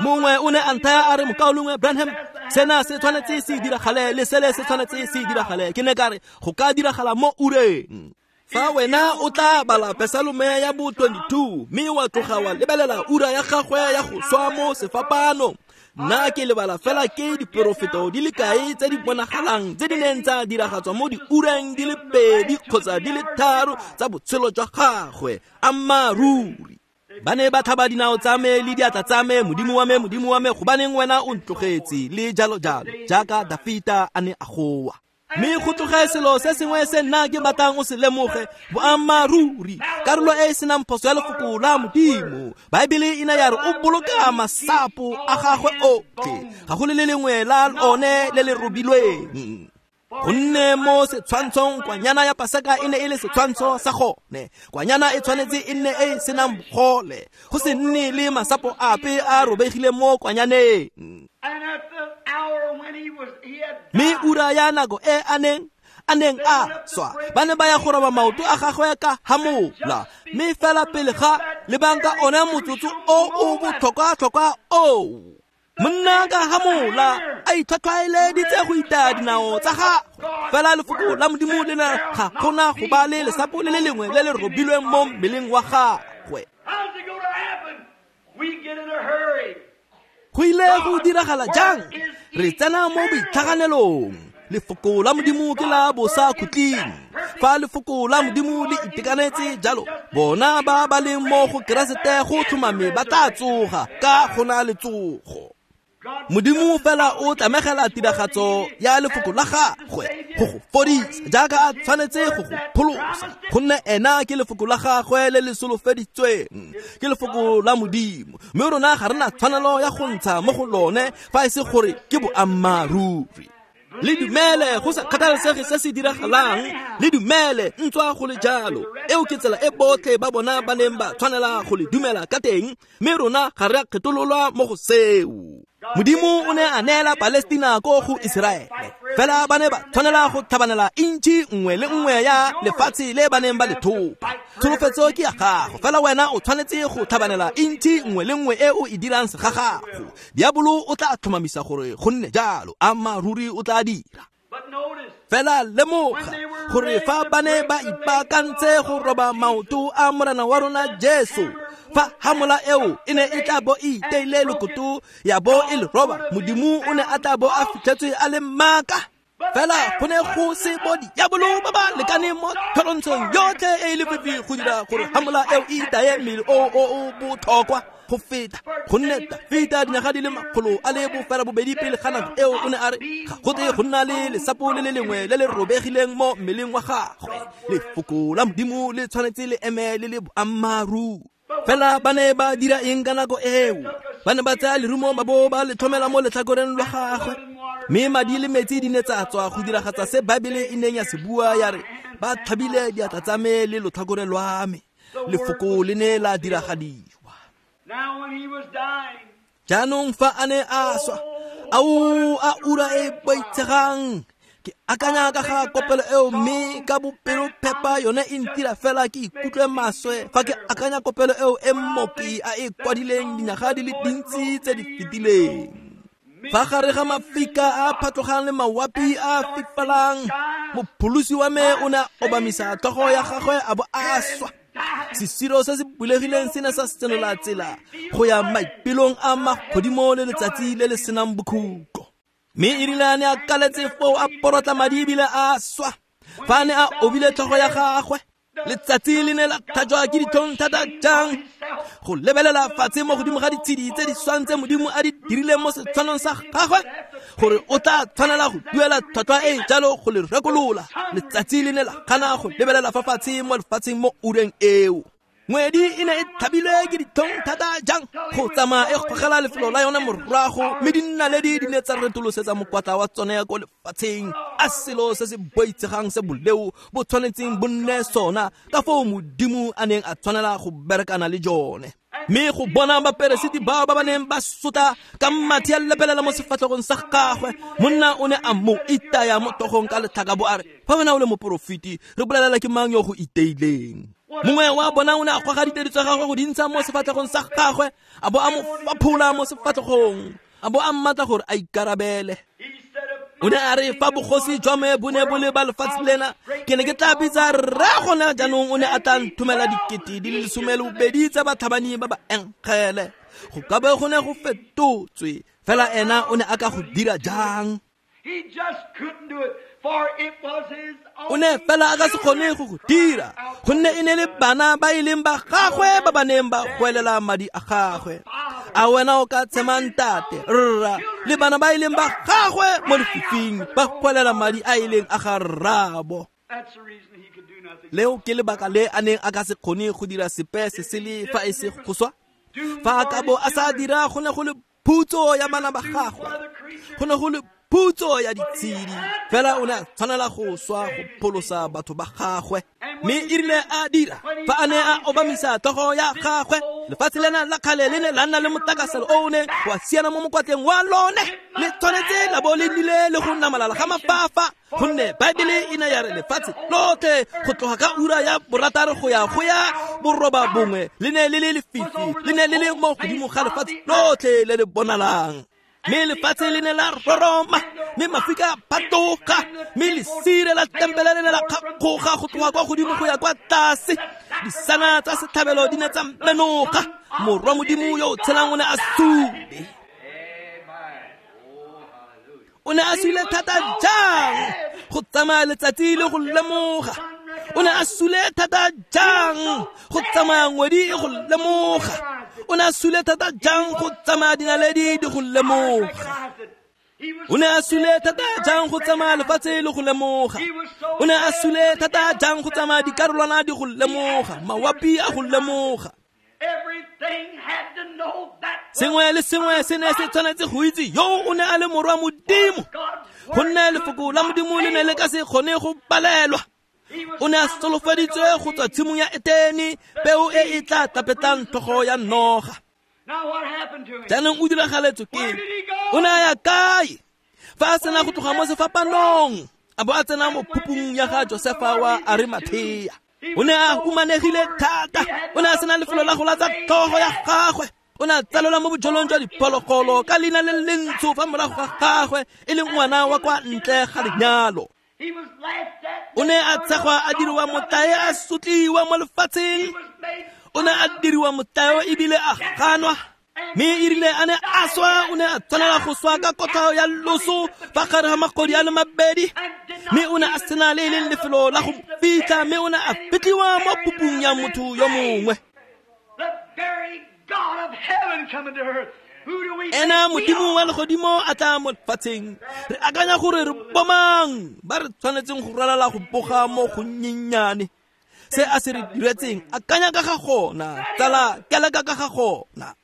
Mongwe o ne a nthaya a re, mokaulengwe Branham, sena se tshwanetse se diragale le sele se tshwanetse se diragale. Ke ne ka re go ka diragala mo ureng. Fa wena o tla bala Pesalome ya bo twenty-two, mme wa tloga wa lebelela ura ya gagwe ya go swa mo sefapanong, nna ke lebala fela ke diporofeto di le kae tse di bonagalang tse di neng tsa diragatswa mo diureng di le pedi kgotsa di le tharo tsa botshelo jwa gagwe. Ammaaruri. Ba ne ba tlhaba dinao tsa me le diatla tsa me, Modimo wa me, Modimo wa me, gobaneng wena o ntlogetse, le jalo jalo, jaaka Dafita a ne a goa. Mme go tloge selo se sengwe se nna ke batlang o se lemoge, boammaaruri, karolo e e senang phoso ya lefoko la Modimo. Baebele e ne ya re o boloka masapo a gagwe otlhe, ga go le le lengwe la one le le robilweng. Gonne mo setshwantshong kwanyana ya Paseka e ne e le setshwantsho sa gone. Kwanyana e tshwanetse e nne e e senang bogole, go se nne le masapo ape a robegileng mo kwanyaneng. Mme ura ya nako e a neng a neng a swa, ba ne ba ya go roba maoto a gagwe ka hamola. Mme fela pele ga lebang ka one motsotso o o botlhokwa-tlhokwa oo, Monna ka hamola a itlhwatlhwaeleditse go itaya dinao tsa gagwe, fela lefoko la Modimo le ne ga gona go ba le lesapo le le lengwe le le robilweng mo mmeleng wa gagwe. Go ile go diragala jang? Re tsena mo boitlhaganelong. Lefoko la Modimo ke la bosakhutleng. Fa lefoko la Modimo le itekanetse jalo, bona ba ba leng mo go Keresete go tlhomame ba tla tsoga ka go na le tsogo. Modimo fela o tlamegela tiragatso ya lefoko la gagwe go go fodisa jaaka a tshwanetse go go pholosa, gonne ena ke lefoko la gagwe le le solofeditsweng, ke lefoko la Modimo, mme rona ga re na tshwanelo ya go ntsha mo go lone fa e se gore ke boammaaruri. Le dumele go sa kgathalesege se se diragalang, le dumele ntswa go le jalo. Eo ke tsela e botlhe ba bona ba neng ba tshwanela go le dumela ka teng, mme rona ga re a kgethololwa mo go seo. Modimo o ne a neela Palestina ko go Iseraele, fela ba ne ba tshwanela go tlhabanela intšhi nngwe le nngwe ya lefatshe le ba neng ba le thopa. Tsholofetso ke ya gago, fela wena o tshwanetse go tlhabanela intšhi nngwe le nngwe e o e dirang segagago. Diabolo o tla tlhomamisa gore go nne jalo, ammaaruri o tla dira. Fela lemoga gore fa ba ne ba ipaakantse go roba maoto a Morena wa rona Jesu, fa hamola eo e ne e tla bo e iteile lokoto ya bo e le roba, Modimo o ne a tla bo a fitlhetswe a le maaka. Fela go ne go se bo diabolo ba ba lekaneng mo tlholontshong yotlhe e e lefifi go dira gore hamola eo e itaye mmele o o o botlhokwa go feta, gonne Dafita dinyaga di le makgolo a le bofela bobedi pele ga nako eo o ne a re ga go tle go nna le lesapo le le lengwe le le robegileng mo mmeleng wa gagwe. Lefoko la Modimo le tshwanetse le eme le le boammaaruri. Fela ba ne ba dira eng ka nako eo? Ba ne ba tsaya lerumo ba bo ba le tlhomela mo letlhakoreng lwa gagwe, mme madi le metsi di ne tsa tswa go diragatsa se Baebele e neng ya se bua ya re ba tlhabile diatla tsa me le lotlhakore lwa me. Lefoko le ne la diragadiwa. Jaanong fa a ne a swa, ao a ura e boitshegang. Ke akanya ka ga kopelo eo, mme ka bopelophepa yone e ntira fela ke ikutlwe maswe fa ke akanya kopelo eo e mmoki a e kwadileng dinyaga di le dintsi tse di fetileng. Fa gare ga mafika a phatlogang le mawapi a fifalang, mopholosi wa me o ne a obamisa tlhogo ya gagwe a bo a swa. Sesiro se se bulegileng se ne sa senola tsela go ya maipelong a magodimo le letsatsi le le senang bokhutlo. Mme e rile a ne a kaletse foo a porotla madi ebile a swa, fa a ne a obile tlhogo ya gagwe, letsatsi le ne la tlhajwa ke ditlhong thata jang go lebelela fatshe mo godimo ga ditshedi tse di swang tse Modimo a di dirileng mo setshwanong sa gagwe, gore o tla tshwanela go duela tlhwatlhwa e jalo go le rekolola. Letsatsi le ne la gana go lebelela fa fatshe mo lefatsheng mo ureng eo. Ngwedi e ne e thabilwe ke ditlhong thata jang go tsamaya e gogela lefelo la yone morago, mme dinaledi di ne tsa retolosetsa mokwatla wa tsone ko lefatsheng. A selo se se boitshegang se boleo bo tshwanetseng bo nne sona, ka foo Modimo a neng a tshwanela go berekana le jone. Mme go bona baperesiti bao ba ba neng ba sotla ka mathe a lebelela mo sefatlhegong sa gagwe, monna o ne a mo itaya mo tlhogong ka letlhaka bo a re, fa wena o le moporofeti, re bolelela ke mang yo go iteileng? Mongwe wa bona o ne a goga ditedu tsa gagwe go di ntsha mo sefatlhegong sa gagwe, a bo a mo faphola mo sefatlhegong, a bo a mmatla gore a ikarabele. O ne a re fa bogosi jwa me bo ne bo le ba lefatshe lena, ke ne ke tla bitsa rre gona jaanong o ne a tla nthomela dikete di le lesome le bobedi tsa batlhabani ba ba enkgele. Go ka be go ne go fetotswe, fela ena o ne a ka go dira jang? O ne fela a ka se kgone go go dira, gonne e ne le bana ba e leng ba gagwe ba ba neng ba goelela madi a gagwe. A wena o ka tshema ntate, rra, le bana ba e leng ba gagwe mo lefifing ba goelela madi a e leng a ga rraabo. Leo ke lebaka le a neng a ka se kgone go dira sepe se sele fa e se go swa. Fa a ka bo a sa dira, go ne go le phutso ya bana ba gagwe, go ne go le phutso ya ditshedi, fela o ne a tshwanela go swa go pholosa batho ba gagwe. Mme e rile a dira fa a ne a obamisa tlhogo ya gagwe, lefatshe lena la kgale le ne la nna le motakaselo o o neng wa siana mo mokwatleng wa lone. Le tshwanetse la bo le nnile le go namalala ga mafafa, gonne Baebele e ne ya re lefatshe lotlhe go tloga ka ura ya borataro go ya go ya boroba bongwe le ne le le lefifi, le ne le le mo godimo ga lefatshe lotlhe le le bonalang. Mme lefatshe le ne la roroma, mme mafika a phatoga, mme lesire la tempele le ne la kgakgoga go tloga kwa godimo go ya kwa tlase. Disana tsa setlhabelo di ne tsa menoga. Morwa Modimo yo o tshelang o ne a sule. O ne a sule thata jang go tsamaya letsatsi le go lemoga. O ne a sule thata jang go tsamaya ngwedi e go lemoga. O ne a sule thata jang go tsamaya dinaledi di go lemoga. O ne a sule thata jang go tsamaya lefatshe le go lemoga. O ne a sule thata jang go tsamaya dikarolwana di go lemoga, mawapi a go lemoga. Sengwe le sengwe se ne se tshwanetse go itse yo o ne a le morwa Modimo, gonne lefoko la Modimo le ne le ka se kgone go palelwa. O ne a solofeditswe go tswa tshimong ya Etene, peo e e tla tapetlang tlhogo ya noga. Jaanong o diragaletswe ke eng? O ne a ya kae? Fa a sena go tloga mo sefapanong, a bo a tsena mo phupung ya ga Josefa wa Arimathea. O ne a humanegile thata, o ne a sena lefelo la go latsa tlhogo ya gagwe. O ne a tsalelwa mo bojelong jwa diphologolo ka leina le lentsho fa morago ga gagwe, e leng ngwana wa kwa ntle ga lenyalo. O ne a tshegwa a diriwa motlae, a sotliwa mo lefatsheng. O ne a diriwa motlae ebile a ganwa. Mme e rile a ne a swa, o ne a tshwanela go swa ka kotlhao ya loso fa gare ga magodi a le mabedi. Mme o ne a sena le e leng lefelo la go fitlha, mme o ne a fitlhiwa mo pupung ya motho yo mongwe. Ena Modimo wa legodimo a tla mo lefatsheng. Re akanya gore re bomang ba re tshwanetseng go ralala go boga mo gonnyenyane. Se a se re diretseng, akanya ka ga gona, tsala keleka ka ga gona.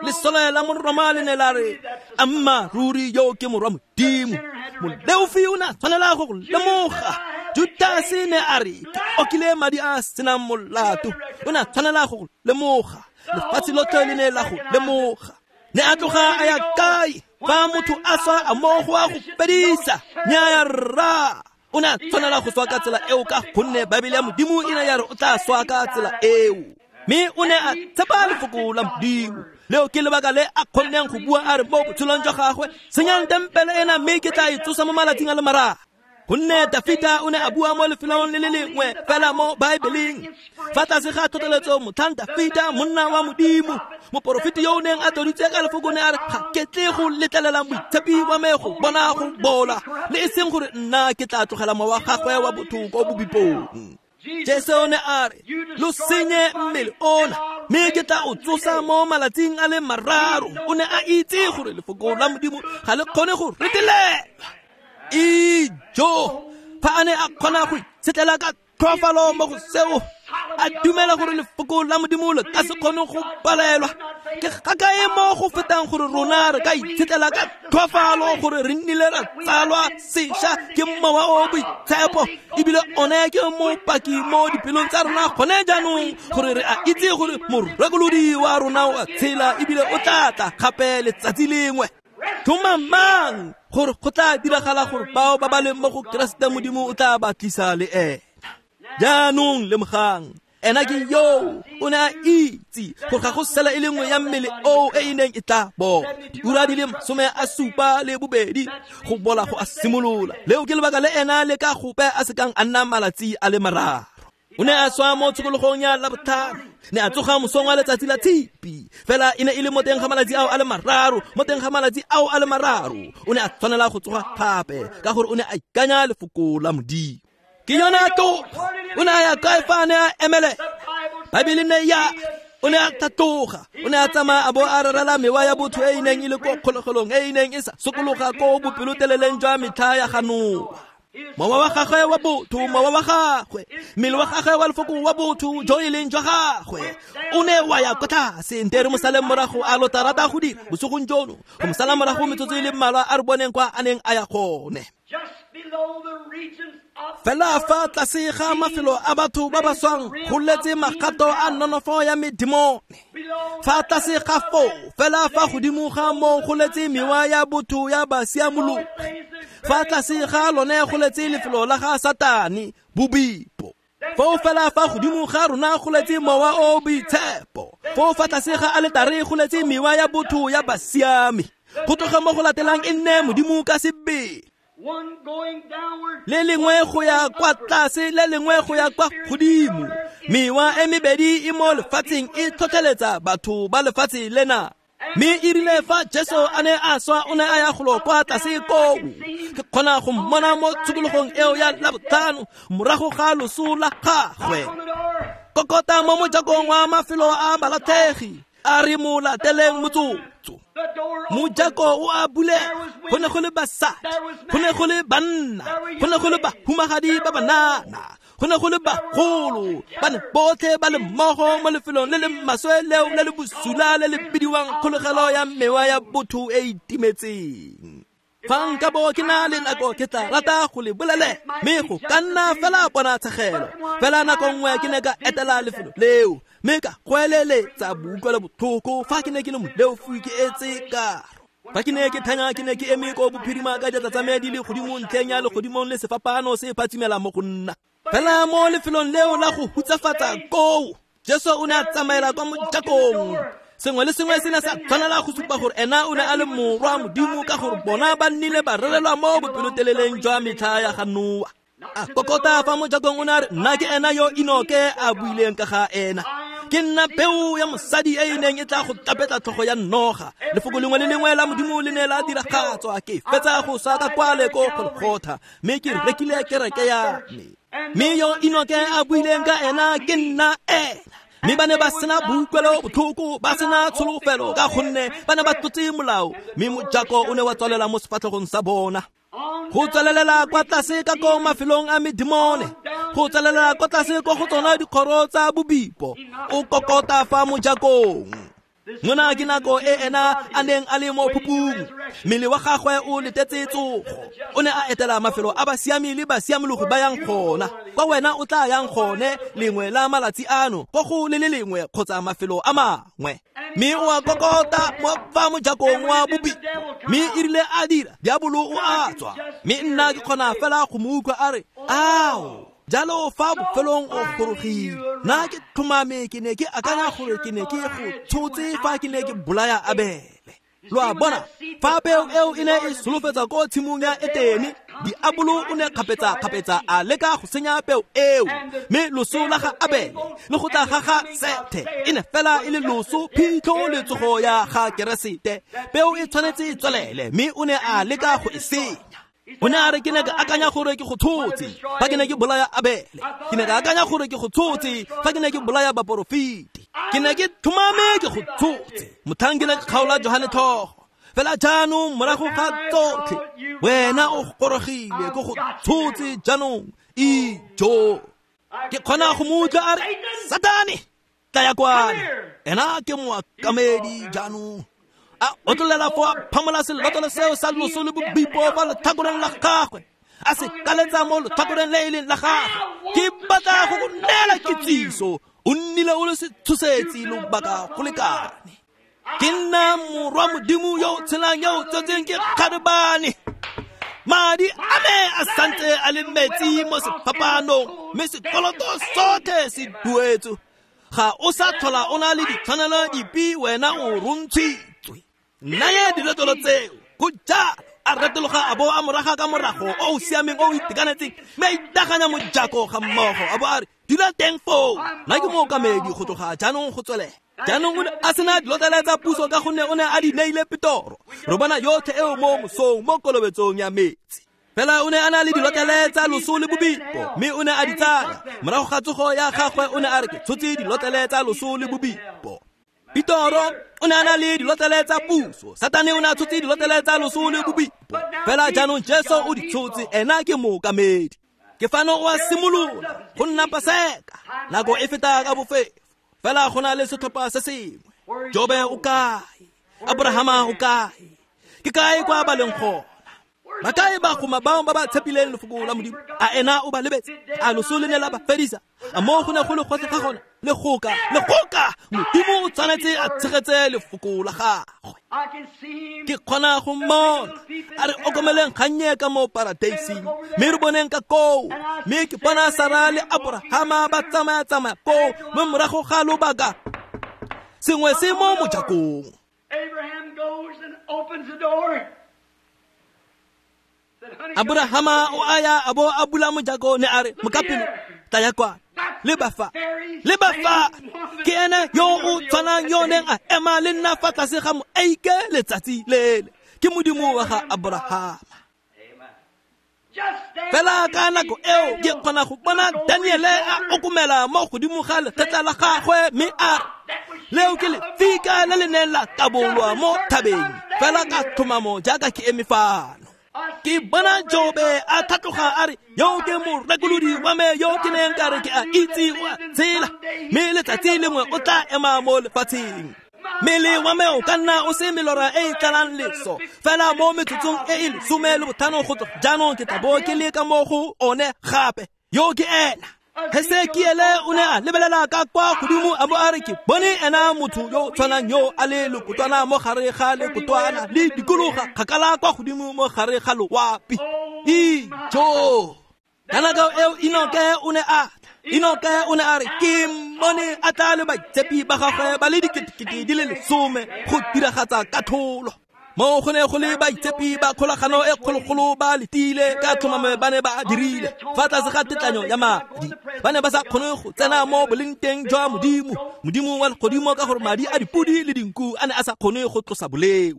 Lesole la Moroma le ne la re, amma ruri yo ke morwa Modimo. Moleofi o ne a tshwanela go lemoga. Judase ne a re, ke okile madi a senang molato. O ne a tshwanela go lemoga. Lefatshe lotlhe le ne la go lemoga. Ne a tloga a ya kae? Fa motho a swa a mo go a go fedisa. Nnyaya rra. O ne a tshwanela go swa ka tsela eo ka gonne Baebele ya Modimo e ne ya re o tla swa ka tsela eo. Mme o ne a tshepa lefoko la Modimo. Leo ke lebaka le a kgonneng go bua a re mo botshelong jwa gagwe, senyang tempele ena mme ke tla e tsosa mo malatsing a le mararo. Gonne Dafita o ne a bua mo lefelong le le lengwe fela mo Baebeleng. Fa tlase ga tlhotlheletso motlhang Dafita monna wa Modimo, moporofeti yo o neng a tloditswe ka lefoko ne a re, ga ke tle go letlelela moitshepi wa me go bona go bola, le e seng gore nna ke tla tlogela mowa wa gagwe wa botho ko bobipong. Jesu o ne a re, lo senye mmele ona, mme ke tla o tsosa mo malatsing a le mararo. O ne a itse gore lefoko la Modimo ga le kgone go retelelwa. Ijo, fa a ne a kgona go itshetlela ka tlhoafalo mo go seo, a dumela gore lefoko la Modimo le ka se kgone go palelwa. Ke gakae mo go fetang gore rona re ka itshetlela ka tlhoafalo gore re nnile ra tsalwa sešwa ke Mowa o Boitshepo, ebile one ke mopaki mo dipelong tsa rona gone jaanong gore re a itse gore morekolodi wa rona o a tshela ebile o tla tla gape letsatsi lengwe. Tlhomamang gore go tla diragala gore bao ba ba leng mo go Keresete Modimo o tla ba tlisa le ena. Jaanong lemogang, ena ke yo o ne a itse gore ga go sela e le nngwe ya mmele oo e e neng e tla bola. Diura di le masome a supa le bobedi go bola go a simolola. Leo ke lebaka le ena le ka gope a sekang a nna malatsi a le mararo. O ne a swa mo tshokologong ya Labotlhano, ne a tsoga mosong wa letsatsi la Tshipi. Fela e ne e le mo teng ga malatsi ao a le mararo, mo teng ga malatsi ao a le mararo. O ne a tshwanela go tsoga gape ka gore o ne a ikanya lefoko la Modimo. Ke yona tloga. O ne a ya kae fa a ne a emele? Baebele ne ya o ne a tlhatloga, o ne a tsamaya a bo a rerela mewa ya botho e e neng e le ko kgolegelong, e e neng e sa sokologa ko bopeloteleleng jwa metlha ya ga Noa. Mowa wa gagwe wa botho, mowa wa gagwe, mmele wa gagwe wa lefoko wa botho jo e leng jwa gagwe, o ne wa ya kwa tlase. Nte re mo saleng morago a lo tla rata go dira bosigong jono, go mo sala morago metsotso e le mmalwa a re boneng kwa a neng a ya gone. Fela fa tlase ga mafelo a batho ba ba swang go letse magato a nonofo ya medimone. Fa tlase ga foo, fela fa godimo ga moo go letse mewa ya botho ya basiamologi. Fa tlase ga lone go letse lefelo la ga Satane, bobipo. Foo fela fa godimo ga rona go letse mowa o boitshepo. Foo fa tlase ga aletare go letse mewa ya botho ya basiami. Go tloga mo go latelang e nne Modimo ka sebele. Le lengwe go ya kwa tlase, le lengwe go ya kwa godimo. Mewa e mebedi e mo lefatsheng e tlhotlheletsa batho ba lefatshe lena. Mme e rile fa Jesu a ne a swa, o ne a ya golo kwa tlase koo. Ke kgona go mmona mo tshokologong eo ya Labotlhano morago ga loso la gagwe. Kokota mo mojakong wa mafelo a balatlhegi, a re mo lateleng motsotso. Mojako o a bulega, go ne go le basadi, go ne go le banna, go ne go le bahumagadi ba banana, go ne go le bagolo, ba ne botlhe ba le mmogo mo lefelong le le maswe leo le le bosula le le bidiwang kgolegelo ya mewa ya botho e e timetseng. Fa nka bo ke na le nako ke tla rata go le bolelela, mme go ka nna fela ponatshegelo. Fela nako nngwe ke ne ka etela lefelo leo, mme ka goeleletsa boutlwelo botlhoko fa ke ne ke le moleofi ke etse karo. Fa ke ne ke thanya, ke ne ke eme ko bophirima ka diatla tsa me di le godimo ntlheng ya legodimong le sefapano se phatsimela mo go nna. Fela mo lefelong leo la go hutsafatsa koo, Jesu o ne a tsamaela kwa mojakong. Sengwe le sengwe se ne sa tshwanela go supa gore ena o ne a le morwa Modimo, ka gore bona ba nnile ba rerelwa mo bopeloteleleng jwa metlha ya ga Noa. A kokota fa mojakong, o ne a re, nna ke ena yo Enoke a buileng ka ga ena. Ke nna peo ya mosadi e e neng e tla go tapetla tlhogo ya noga. Lefoko lengwe le lengwe la Modimo le ne la diragatswa. Ke fetsa go swa ka kwale ko Golgotha, mme ke rekile kereke ya me. Mme yo Enoke a buileng ka ena ke nna ena. Mme ba ne ba sena boutlwelo botlhoko, ba sena tsholofelo, ka gonne ba ne ba tlotse molao, mme mojako o ne wa tswalela mo sefatlhegong sa bona. Go tswelelela kwa tlase ka ko mafelong a medimone, go tswelelela kwa tlase ko go tsona dikgoro tsa bobipo, o kokota fa mojakong. Mona ke nako e ena a neng a le mo phupung, mmele wa gagwe o letetse tsogo. O ne a etela mafelo a basiami le basiamologi ba yang gona. Kwa wena o tla yang gone lengwe la malatsi ano, ko go le le lengwe kgotsa mafelo a mangwe. Mme o a kokota mo fa mojakong wa bobipo, mme e rile a dira, diabolo o a tswa. Mme nna ke kgona fela go mo utlwa a re, ao, jalo fa bofelong o gorogile. Nna ke tlhomame ke ne ke akanya gore ke ne ke go tshotse fa ke ne ke bolaya Abele. Lo a bona, fa peo eo e ne e solofetsa ko tshimong ya Etene, diabolo o ne kgapetsa-kgapetsa a leka go senya peo eo. Mme loso la ga Abele le go tla ga ga Sethe e ne fela e le loso, phitlho le tsogo ya ga Keresete. Peo e tshwanetse e tswelele, mme o ne a leka go e senya. O ne a re, ke ne ka akanya gore ke go tshotse fa ke ne ke bolaya Abele. Ke ne ka akanya gore ke go tshotse fa ke ne ke bolaya baporofeti. Ke ne ke tlhomame ke go tshotse motlhang ke ne ke kgaola Johane tlhogo. Fela jaanong morago ga tsotlhe, wena o gorogile, ke go tshotse jaanong. Ijo, ke kgona go mo utlwa a re, Satane, tlaya kwano. Ena ke moakamedi jaanong. A otlolela fo a phamola selotlolo seo sa loso le bobipo fa letlhakoreng la gagwe, a se kaletsa mo letlhakoreng le e leng la gagwe. Ke batla go go neela kitsiso, o nnile o le setshosetsi lobaka go lekane. Ke nna morwa Modimo yo o tshelang, yo o tsetseng ke kgarebane. Madi a me a santse a le metsi mo sefapanong, mme sekoloto sotlhe se duetswe. Ga o sa tlhola o na le ditshwanelo dipe, wena o rontshitswe. Naya dilotlolo tseo. Go jalo, a retologa a bo a moraga ka morago o o siameng o o itekanetseng, mme a itaganya mojako ga mmogo, a bo a re, dula teng foo, nna ke mookamedi go tloga jaanong go tswelela. Jaanong o ne a sena dilotlele tsa puso ka gonne o ne a di neile Petoro. Re bona yotlhe eo mo mosong mo kolobetsong ya metsi. Fela o ne a na le dilotlele tsa loso le bobipo, mme o ne a di tsaya. Morago ga tsogo ya gagwe o ne a re, ke tshotse dilotlele tsa loso le bobipo. Petoro o ne a na le dilotlele tsa puso, Satane o ne a tshotse dilotlele tsa loso le bobipo. Fela jaanong Jesu o di tshotse, ena ke mookamedi. Ke fano o a simolola go nna Paseka, nako e feta ka bofefo. Fela go na le setlhopha se sengwe. Jobe o kae? Abrahama o kae? Ke kae kwa ba leng gona? Ba kae bagoma bao ba ba tshepileng lefoko la Modimo? A ena o ba lebetse? A loso le ne la ba fedisa? A mo go ne go le gotlhe ga gona? Le goka, le goka! Modimo o tshwanetse a tshegetse lefoko la gagwe. Ke kgona go mmona a re okomeleng kgannye ka mo paradeising, mme re boneng ka koo. Mme ke bona Sara le Abrahama ba tsamaya-tsamaya koo, mme morago ga lobaka sengwe se mo mojakong.
Abraham goes and opens the door.
Abrahama o aya a bo a bula mojako ne a re mokapelo tlaya kwa le ba fa le ba fa ke ene yo o tshwanang yo neng a ema le nna fa tlase ga moeike letsatsi lele ke modimo wa ga Abrahama. Fela ka nako eo ke kgona go bona Daniele a okomela mo godimo ga legetla la gagwe mme a re leo ke lefika le le neng la tabolwa mo thabeng fela ka tlhomamo jaaka ke eme fano. Ke bona Jobe a tlhatloga a re yo ke morekolodi wa me yo ke neng ka re ke a itse o a tshela mme letsatsi lengwe o tla ema mo lefatsheng. Mmele wa me o ka nna o se melora e e tlalang leso fela mo metsotsong e e lesome le botlhano go tloga jaanong ke tla bo ke le ka mo go one gape yo ke ena. Hesekiele o ne a lebelela ka kwa godimo a bo a re ke bone ena motho yo tshwanang yo a le lekotwana mo gare ga lekotwana le dikologa kgakala kwa godimo mo gare ga loapi. Ijo! Ka nako eo Enoke o ne a Enoke o ne a re ke mmone a tla le baitshepi ba gagwe ba le diketekete di le lesome go diragatsa katlholo. Mo go ne go le baitshepi ba kgolagano e kgologolo ba letile ka tlhomamo ba ne ba dirile fa tlase ga tetlanyo ya madi. Ba ne ba sa kgone go tsena mo bolengteng jwa Modimo, Modimo wa legodimo ka gore madi a dipodi le dinku a ne a sa kgone go tlosa boleo.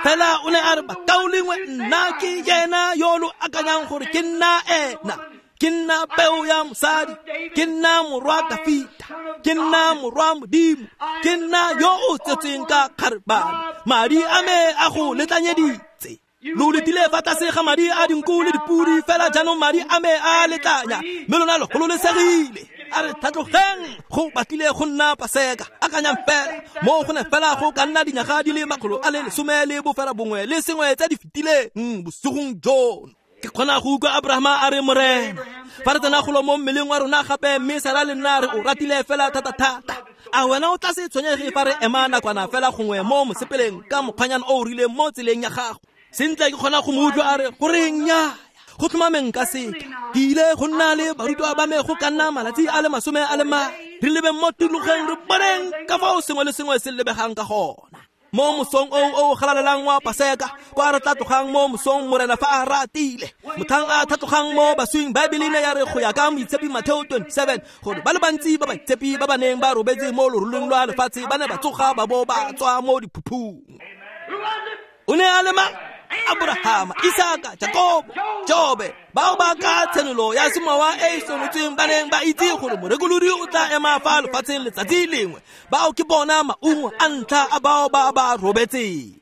Fela o ne a re bakaulengwe nna ke yena yo lo akanyang gore ke nna ena. Ke nna peo ya mosadi, ke nna morwa Dafita, ke nna morwa Modimo, ke nna yo o tsetsweng ka kgarebane. Madi a me a go letlanyeditse. Lo letile fa tlase ga madi a dinku le dipodi fela jaanong madi a me a letlanya mme lona lo gololesegile. A re tlhatlogeng go batlile go nna Paseka. Akanyang fela mo go ne fela go ka nna dinyaga di le makgolo a le lesome le bofela bongwe le sengwe tse di fetileng bosigong jono. Ke kgona go utlwa Abrahama a re Morena fa re tsena golo mo mmeleng wa rona gape mme Sara le nna re o ratile fela thata-thata. A wena o tla se tshwenyege fa re ema nakwana fela gongwe mo mosepeleng ka mokgwanyana o o rileng mo tseleng ya gago. Sentle ke kgona go mo utlwa a re goreng nnyaya go tlhomameng ka seka ke ile go nna le barutwa ba me go ka nna malatsi a le masome a le mane re lebeng mo tikologong re boneng ka fao sengwe le sengwe se lebegang ka gona. Mo mosong o o galalelang wa Paseka kwa re tla tlogang mo mosong Morena fa a ratile motlhang a tlhatlogang mo baswing. Baebele ne ya re go ya ka moitshepi Mateo twenty-seven gore ba le bantsi ba baitshepi ba ba neng ba robetse mo loroleng lwa lefatshe ba ne ba tsoga ba bo ba tswa mo diphuphung. O ne a le mang? Abrahama, Isaka, Jakobo, Jobe bao ba ka tshenolo ya semowa e e senotsweng ba neng ba itse gore morekolodi o tla ema fa lefatsheng letsatsi lengwe. Bao ke bona maungo a ntlha a bao ba ba robetseng.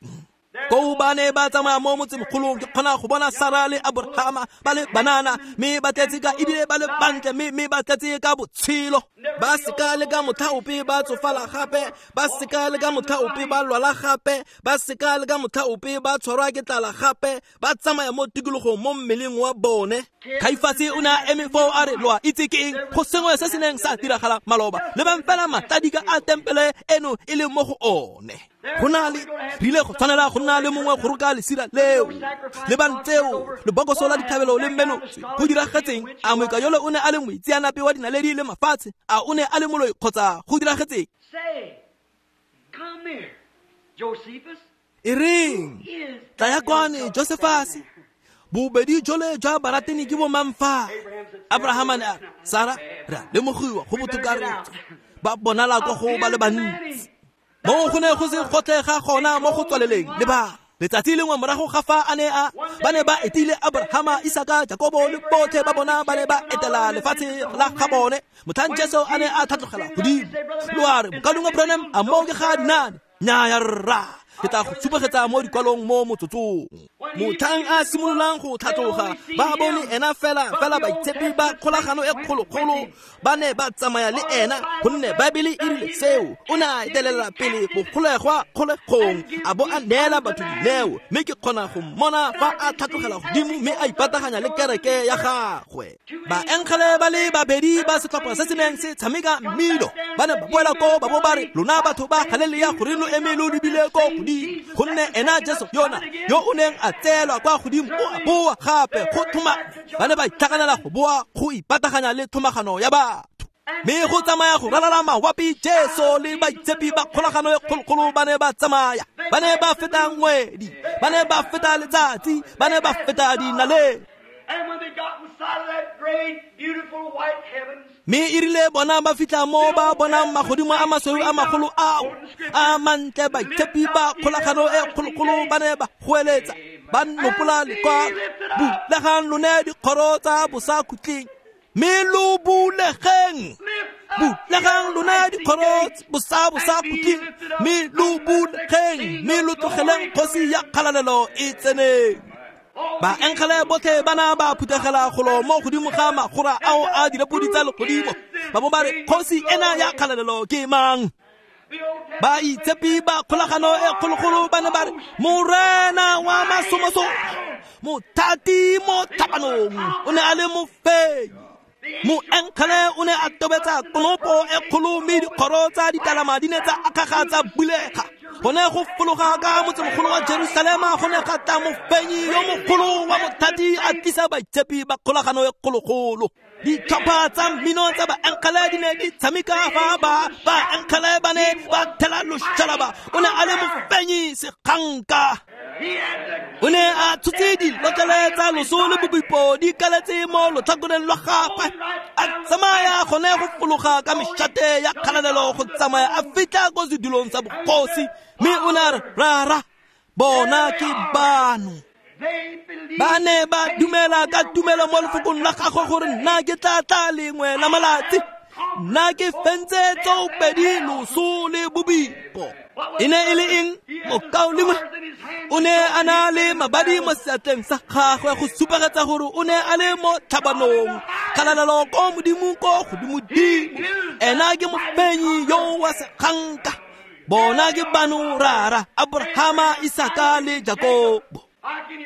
Koo ba ne ba tsamaya mo motsemogolong ke kgona go bona Sara le Abrahama ba le banana mme ba tletse ka ebile ba le bantle mme mme ba tletse ka botshelo. Ba seka le ka motlha ope ba tsofala gape, ba seka le ka motlha ope ba lwala gape, ba seka le ka motlha ope ba tshwarwa ke tlala gape, ba tsamaya mo tikologong mo mmeleng wa bone. Kaifase o ne a eme foo a re lo a itse ke eng go sengwe se se neng sa diragala maloba lebang fela matladika a tempele eno e le mo go one. Go na le re ile go tshwanela go nna le mongwe go roka lesira leo lebang tseo lebokoso la ditlhabelo le mmenotswe. Go diragetseng a moika yole o ne a le moitseanape wa dinaledi le mafatshe? A o ne a le moloi kgotsa go diragetseng? E reng tlaya kwane Josefase bobedi jole jwa barateni ke bo mang fa? Abrahama ne a re Sara re a lemogiwa go botoka re ba bonala kwa go ba le bantsi. Mo go ne go se gotlhe ga gona mo go tswaleleng le ba letsatsi lengwe morago ga fa a ne a ba ne ba etile Abrahama, Isaka, Jakobo le botlhe ba bona ba ne ba etela lefatshe la ga bone. Motlhang Jesu a ne a tlhatlogela godimo lo a re mokalengwe Branham a moo ke ga dinane? Nnyaya rra, ke tla go supegetsa mo dikwalong mo motsotsong. Motlhang a simololang go tlhatloga ba bone ena fela fela baitshepi ba kgolagano e kgologolo ba ne ba tsamaya le ena gonne Baebele e rile seo. O ne a etelela pele bogolegwa kgolegong a bo a neela batho dineo mme ke kgona go mmona fa a tlhatlogela godimo mme a ipataganya le kereke ya gagwe. Baengele ba le babedi ba setlhopha se se neng se tshameka mmino ba ne ba boela koo ba bo ba re lona batho ba Galilea gore lo eme lo lebile ko godimo gonne ena Jesu yona yo o neng a tseelwa kwa godimo o a boa gape go thoma. Ba ne ba itlhaganela go boa go ipataganya le thomagano ya batho. Mme go tsamaya go ralala mawapi Jesu le baitshepi ba kgolagano e kgologolo ba ne ba tsamaya. Ba ne ba feta ngwedi, ba ne ba feta letsatsi, ba ne ba feta dinaledi. Mme e rile bona ba fitlha mo ba bonang magodimo a masweu a magolo ao a mantle, baitshepi ba kgolagano e kgologolo ba ne ba goeletsa, ba nopola lekwalo, bulegang lone dikgoro tsa bosakhutleng, mme lo bulegeng, bulegang lone dikgoro bosa bosakhutleng, mme lo bulegeng, mme lo tlogeleng kgosi ya kgalalelo e tseneng. Baengele botlhe ba na ba phuthegela golo mo godimo ga magora ao a direpodi tsa legodimo, ba bo ba re kgosi ena ya kgalalelo ke mang? Baitshepi ba kgolagano e kgologolo ba ne ba re Morena wa masomosomo, mothati mo tlhabanong, o ne a le mofenyi. Moengele o ne a tobetsa konopo e kgolo, mme dikgoro tsa ditalama di ne tsa akgaga tsa bulega. Go ne go fologa ka motsemogolo wa Jerusalema go ne ga tla mofenyi yo mogolo wa mothati a tlisa baitshepi ba kgolagano e kgologolo. Ditlhopha tsa mmino tsa baengele di ne di tshameka fa ba baengele ba ne ba thela loshalaba. O ne a le mofenyi seganka. O ne a tshotse dilotlele tsa loso le bobipo di kaletse mo lotlhakoreng lwa gagwe, a tsamaya gone go fologa ka mešate ya kgalalelo go tsamaya a fitlha ko sedulong sa bogosi. Mme o ne a re, Rara, bona ke bano. Ba ne ba dumela ka tumelo mo lefokong la gagwe gore nna ke tla tla lengwe la malatsi, nna ke fentse tsoopedi loso le bobipo. E ne e le eng? Mokaulengwe o ne a na le mabadi mo seatleng sa gagwe go supegetsa gore o ne a le mo tlhabanong. Kgalalelo ko Modimo ko godimodimo, ena ke mofenyi yo wa seganka. Bona ke bano rara, Abrahama, Isaka le Jakobo.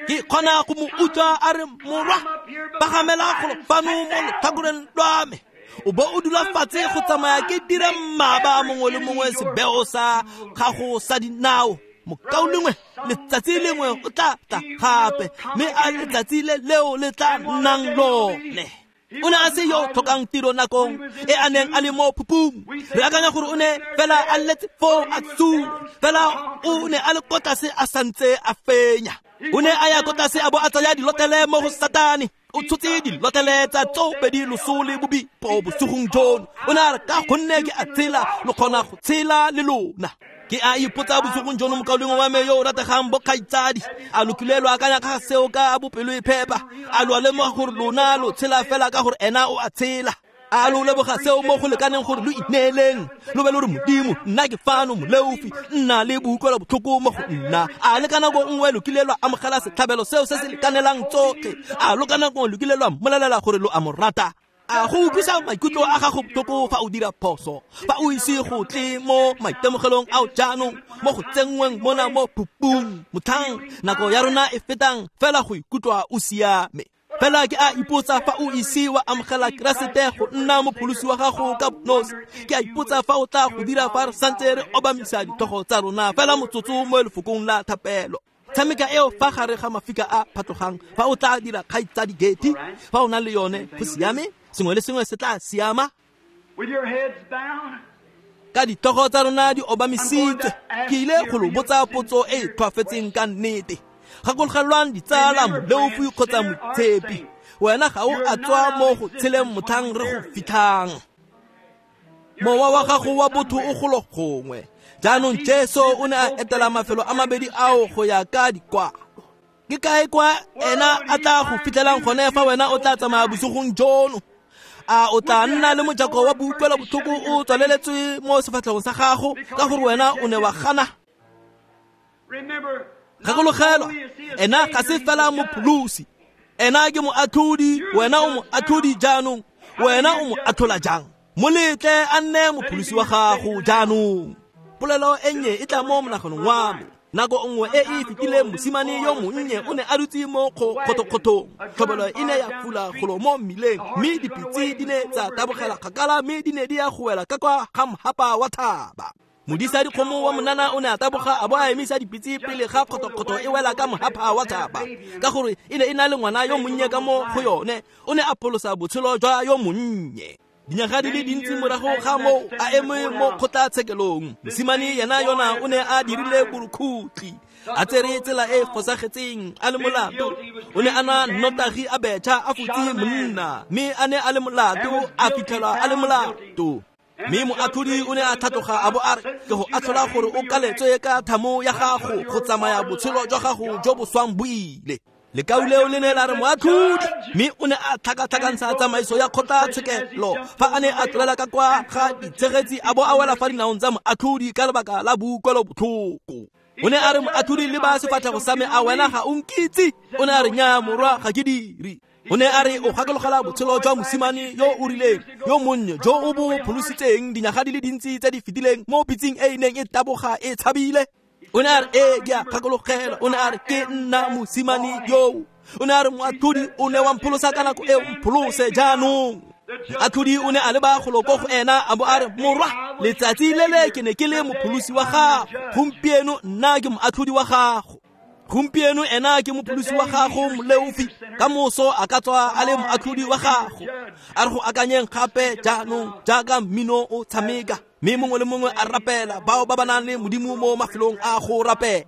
Ke kgona go mo utlwa a re, morwa, pagamela golo fano mo lotlhakoreng lwa me, o bo o dula fatshe go tsamaya ke dira mmaba mongwe le mongwe sebeo sa gago sa dinao. Mokaulengwe, letsatsi lengwe o tla tla gape, mme a letsatsi le leo le tla nnang lone. O ne a se yo tlhokang tiro nakong e a neng a le mo phupung. Re akanya gore o ne fela a letse foo a tsule, fela o ne a le ko tlase a santse a fenya. O ne a ya ko tlase a bo a tsaya dilotlele mo go Satane. O tshotse dilotlele tsa tsoopedi loso le bobipo bosigong jono. O ne a re, ka gonne ke a tshela, lo kgona go tshela le lona. Ke a ipotsa bosigong jono, mokaulengwe wa me yo o rategang bokgaitsadi, a lo kile lo akanya ka seo ka bopelo e phepa? A lo a lemoga gore lona lo tshela fela ka gore ena o a tshela? A lo leboga seo mo go lekaneng gore lo ineeleng, lo be lo re, Modimo, nna ke fano moleofi, nna le boutlwela botlhoko mo go nna. A le ka nako nngwe lo kile lwa amogela setlhabelo seo se se lekanelang tsotlhe? A lo ka nako nngwe lo kile lwa mmolelela gore lo a mo rata? A go utlwisa maikutlo a gago botlhoko fa o dira phoso, fa o ise go tle mo maitemogelong ao jaanong, mo go tsenngweng mona mo phupung, motlhang nako ya rona e fetang fela go ikutlwa o siame. Fela ke a ipotsa fa o ise wa amogela Keresete go nna mopholosi wa gago ka bonosi. Ke a ipotsa fa o tla go dira fa re santse re obamisa ditlhogo tsa rona fela motsotso mo lefokong la thapelo. Tshameka eo fa gare ga mafika a phatlogang fa o tla dira kgaitsadi Getty, fa o na le yone go siame, sengwe le sengwe se tla siama. Ka ditlhogo tsa rona di obamisitswe, ke ile go lo botsa potso e e tlhoafetseng ka nnete. Gakologelwang ditsala, moleofi kgotsa moitshepi, wena ga o a tswa mo go tsheleng motlhang re go fitlhang. Mowa wa gago wa botho o golo gongwe. Jaanong Jesu o ne a etela mafelo a mabedi ao go ya ka dikwalo. Ke kae kwa ena a tla go fitlhelang gone fa wena o tla tsamaya bosigong jono? A o tla nna le mojako wa boutlwelo botlhoko o tswaleletswe mo sefatlhegong sa gago ka gore wena o ne wa gana? Gakologelwa, ena ga se fela mopholosi, ena ke moatlhodi. Wena o moatlhodi jaanong, wena o mo atlhola jang? Mo letle a nne mopholosi wa gago jaanong. Polelo e nnye e tla mo monaganong wa me. Nako nngwe e e fetileng mosimane yo monnye o ne a dutse mo kgothokgothong. Tlhobolo e ne ya fula golo mo mmileng, mme dipitse di ne tsa tabogela kgakala, mme di ne di ya go wela ka kwa ga mhapa wa thaba. Modisa dikgomo wa monana o ne a taboga a bo a emisa dipitse pele ga kgothokgotho e wela ka mohapha wa thaba, ka gore e ne e na le ngwana yo monnye ka mo go yone. O ne a pholosa botshelo jwa yo monnye. Dinyaga di le dintsi morago ga moo a eme mo kgotlatshekelong, mosimane yena yona o ne a dirile borukhutlhi, a tsere tsela e fosagetseng, a le molato. O ne a nwa nnotagi a betšha a futse monna, mme a ne a le molato, a fitlhelwa a le molato. Mme moatlhodi o ne a tlhatloga a bo a re, ke go atlhola gore o kaletswe ka thamo ya gago go tsamaya botshelo jwa gago jo bo swang bo ile. Lekau leo le ne la re moatlhodi, mme o ne a tlhakatlhakantsha tsamaiso ya kgotlatshekelo fa a ne a tlolela ka kwa ga ditshegetsi a bo a wela fa dinaong tsa moatlhodi ka lebaka la boutlwelobotlhoko. O ne a re, moatlhodi, leba sefatlhego sa me, a wena ga o nkitse? O ne a re, nnyaa morwa, ga ke dire. O ne a re, o gakologela botshelo jwa mosimane yo o rileng yo monnye jo o bo pholositseng dinyaga di le dintsi tse di fetileng mo pitseng e e neng e taboga e tshabile? O ne a re, ee, ke a gakologela. O ne a re, ke nna mosimane yoo. O ne a re, moatlhodi, o ne wa mpholosa ka nako e, o mpholose jaanong. Moatlhodi o ne a leba golo ko go ena a bo a re, morwa, letsatsi le le ke ne ke le mopholosi wa gago, gompieno nna ke moatlhodi wa gago. Gompieno ena ke mopholosi wa gago, moleofi, ka moso a ka tswa a le moatlhodi wa gago. A re go akanyeng gape jaanong jaaka mmino o tshameka, mme mongwe le mongwe a rapela, bao ba ba nang le Modimo mo mafelong a go rapela.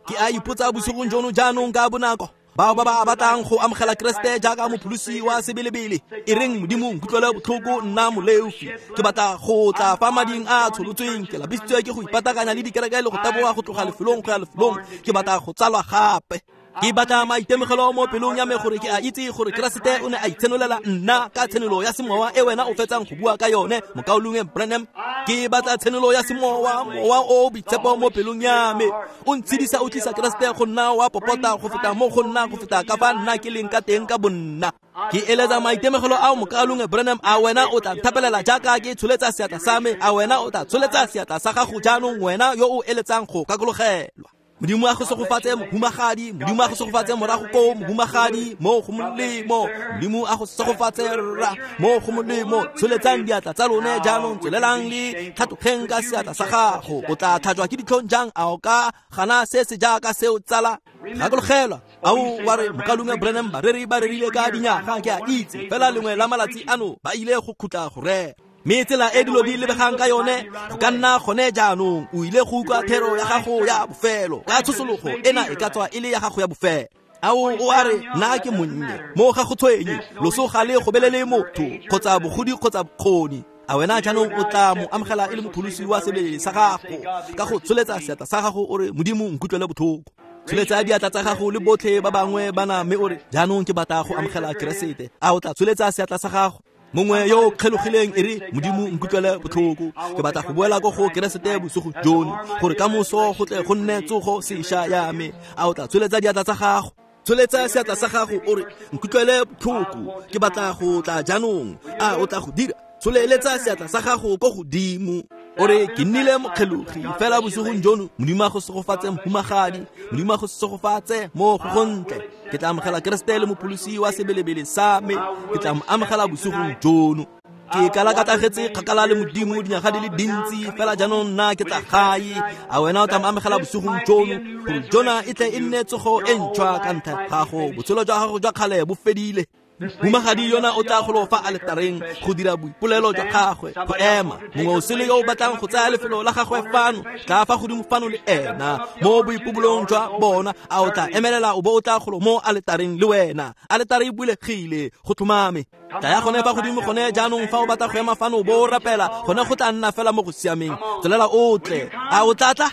Ke a ipotsa bosigong jono jaanong ka bonako, bao ba ba batlang go amogela Keresete jaaka mopholosi wa sebelebele, e reng, Modimo, nkutlwele botlhoko, nna moleofi, ke batla go tla fa mading a tsholotsweng, ke lapisitswe ke go ipatakanya le dikereke le go taboga go tloga lefelong go ya lefelong, ke batla go tsalwa gape. Ke batla maitemogelo mo pelong ya me gore ke a itse gore Keresete o ne a itshenolela nna ka tshenolo ya semowa e wena o fetsang go bua ka yone, mokaulengwe Branham. Ke batla tshenolo ya semowa, mowa o boitshepo mo pelong ya me, o ntshedisa, o tlisa Keresete go nna wa popota go feta mo go nna, go feta ka fa nna ke leng ka teng ka bonna. Ke eletsa maitemogelo ao, mokaulengwe Branham. A wena o tla nthapelela jaaka ke tsholetsa seatla sa me? A wena o tla tsholetsa seatla sa gago jaanong, wena yo o eletsang go gakologelwa? Modimo a go segofatse, mohumagadi. Modimo a go segofatse morago koo, mohumagadi, mo go molemo. Modimo a go segofatse, rra, mo go molemo. Tsholetsang diatla tsa lone jaanong, tswelelang le tlhatlogeng ka seatla sa gago. O tla tlhajwa ke ditlhong jang? A o ka gana se se jaaka seo, tsala? Gakologelwa, ao wa re, mokaulengwe Branham, bareri ba rerile ka dinyaga, ke a itse, fela lengwe la malatsi ano ba ile go khutla go rera. Mme tsela e dilo di lebegang ka yone go ka nna gone jaanong o ile go utlwa thero ya gago ya bofelo ka tshosologo ena e ka tswa e le ya gago ya bofelo. Ao o a re, nna ke monnye, mo ga go tshwenye, loso ga le gobelele motho kgotsa bogodi kgotsa bokgoni. A wena jaanong o tla mo amogela e le mopholosi wa sebele sa gago ka go tsholetsa seatla sa gago o re, Modimo, nkutlwele botlhoko. Tsholetsa diatla tsa gago le botlhe ba bangwe bana, mme o re, jaanong ke batla go amogela Keresete. A o tla tsholetsa seatla sa gago? Mongwe yo o kgelogileng e re, Modimo, nkutlwele botlhoko, ke batla go boela ko go Keresete bosigo jono, gore ka moso go tle go nne tsogo sešwa ya me. A o tla tsholetsa diatla tsa gago? Tsholetsa seatla sa gago o re, nkutlwele botlhoko, ke batla go tla jaanong. A o tla go dira? Tsholeletsa seatla sa gago ko godimo o re, ke nnile mokgelogi fela bosigong jono. Modimo a go segofatse, mohumagadi. Modimo a go segofatse mo go gontle. Ke tla amogela Keresete le mopholosi wa sebelebele sa me, ke tla mo amogela bosigong jono. Ke kalakatagetse kgakala le Modimo dinyaga di le dintsi, fela jaanong nna ke tla gae. A wena o tla mo amogela bosigong jono, gore jona e tle e nne tsogo e ntšhwa ka ntlha gago? Botshelo jwa gago jwa kgale bo fedile. Mohumagadi yona o tla golo fa aletareng go dira boipolelo jwa gagwe, go ema. Mongwe o sele yo o batlang go tsaya lefelo la gagwe fano, tla fa godimo fano le ena mo boipobolong jwa bona. A o tla emelela o bo o tla golo mo aletareng le wena? Aletare e bulegile, go tlhomame. Tla ya gone fa godimo gone jaanong fa o batla go ema fano o bo o rapela, gone go tla nna fela mo go siameng. Tswelela o tle. A o tla tla?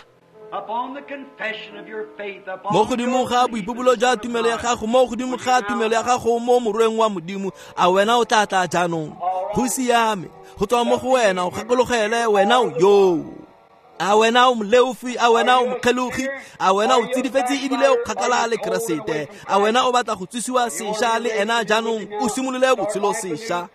Mo godimo ga boipobolo jwa tumelo ya gago, mo godimo ga tumelo ya gago mo morweng wa Modimo, a wena o tla tla jaanong? Go siame, go tswa mo go wena, o gakologele wena o yoo. A wena o moleofi? A wena o mokgelogi? A wena o tsidifetse ebile o kgakala le Keresete? A wena o batla go tsosiwa sešwa le ena jaanong, o simolole botshelo sešwa?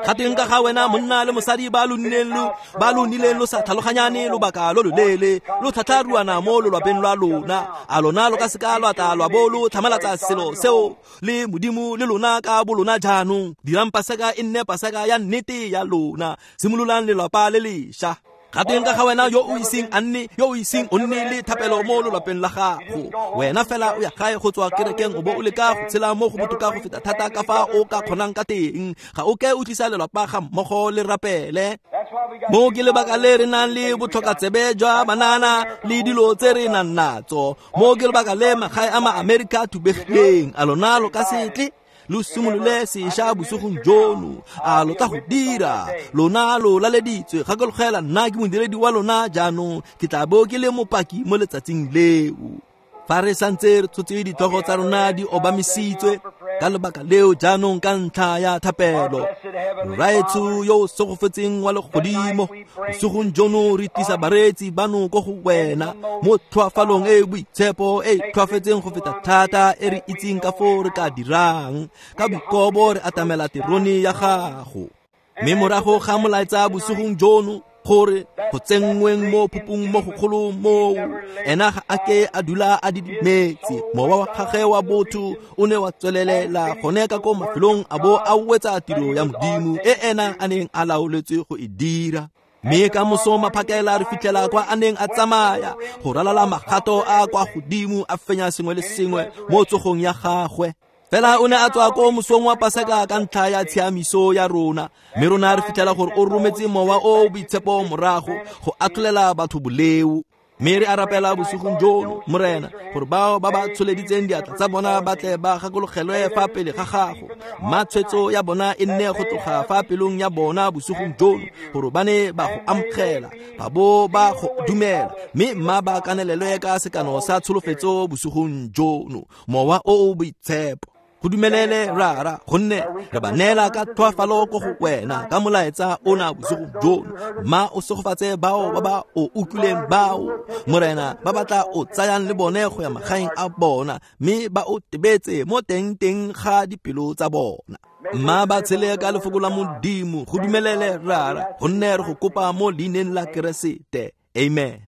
Ga teng ka ga wena monna le mosadi ba lo nnileng lo ba lo nnileng lo sa tlhaloganyane lobaka lo loleele, lo tlhatlharuana mo lolwapeng lwa lona, a lona lo ka seka lwa tla lwa bo lo tlhamalatsa selo seo le Modimo le lona ka bo lona jaanong? Dirang Paseka e nne Paseka ya nnete ya lona, simololang lelapa le lešwa. Ga teng ka ga wena yo o iseng a nne yo o iseng o nne le thapelo mo lolapeng la gago. Wena fela o ya gae go tswa kerekeng o bo o leka go tshela mo go botoka go feta thata ka fa o ka kgonang ka teng. Ga o ke o tlisa lelapa ga mmogo le rapele. Mo ke lebaka le re nang le botlhokatsebe jwa banana le dilo tse re nang natso. Mo ke lebaka le magae a ma-Amerika a thubegileng. A lona lo ka se tle lo simolole sešwa bosigong jono. A lo tla go dira? Lona lo laleditswe. Gakologela, nna ke modiredi wa lona jaanong. Ke tla bo ke le mopaki mo letsatsing leo. Fa re santse re tshotse ditlhogo tsa rona di obamisitswe ka lebaka leo jaanong ka ntlha ya thapelo, Rraetsho yo o segofetseng wa legodimo, bosigong jono re tlisa bareetsi bano ko go wena mo tlhoafalong e e boitshepo e e tlhoafetseng go feta thata e re itseng ka foo re ka dirang. Ka boikobo re atamela terone ya gago. Mme morago ga molaetsa bosigong jono, gore go tsenngweng mo phupung mo go kgolo moo, ena ga a ke a dula a didimetse. Mowa wa gagwe wa botho o ne wa tswelelela gone ka ko mafelong a bo a wetsa tiro ya Modimo e ena a neng a laoletswe go e dira. Mme ka moso maphakela re fitlhela kwa a neng a tsamaya go ralala magato a kwa godimo a fenya sengwe le sengwe mo tsogong ya gagwe. Fela o ne a tswa ko mosong wa Paseka ka ntlha ya tshiamiso ya rona. Mme rona re fitlhela gore o rometse mowa o boitshepo morago go atlholela batho boleo. Mme re a rapela bosigong jono, Morena, gore bao ba ba tsholeditseng diatla tsa bona ba tle ba gakologelwe fa pele ga gago. Mma tshwetso ya bona e nne go tloga fa pelong ya bona bosigong jono, gore ba ne ba go amogela, ba bo ba go dumela, mme mma ba kanelelwe ka sekano sa tsholofetso bosigong jono, mowa o o boitshepo. Go dumelele Rara, gonne re ba neela ka tlhoafalo ko go wena ka molaetsa ona bosigo jono. Mma o segofatse bao ba ba o utlwileng bao, Morena, ba ba tla o tsayang le bone go ya magaeng a bona, mme ba o tebetse mo teng-teng ga dipelo tsa bona. Mma ba tshele ka lefoko la Modimo. Go dumelele Rara, gonne re go kopa mo leineng la Keresete. Amen.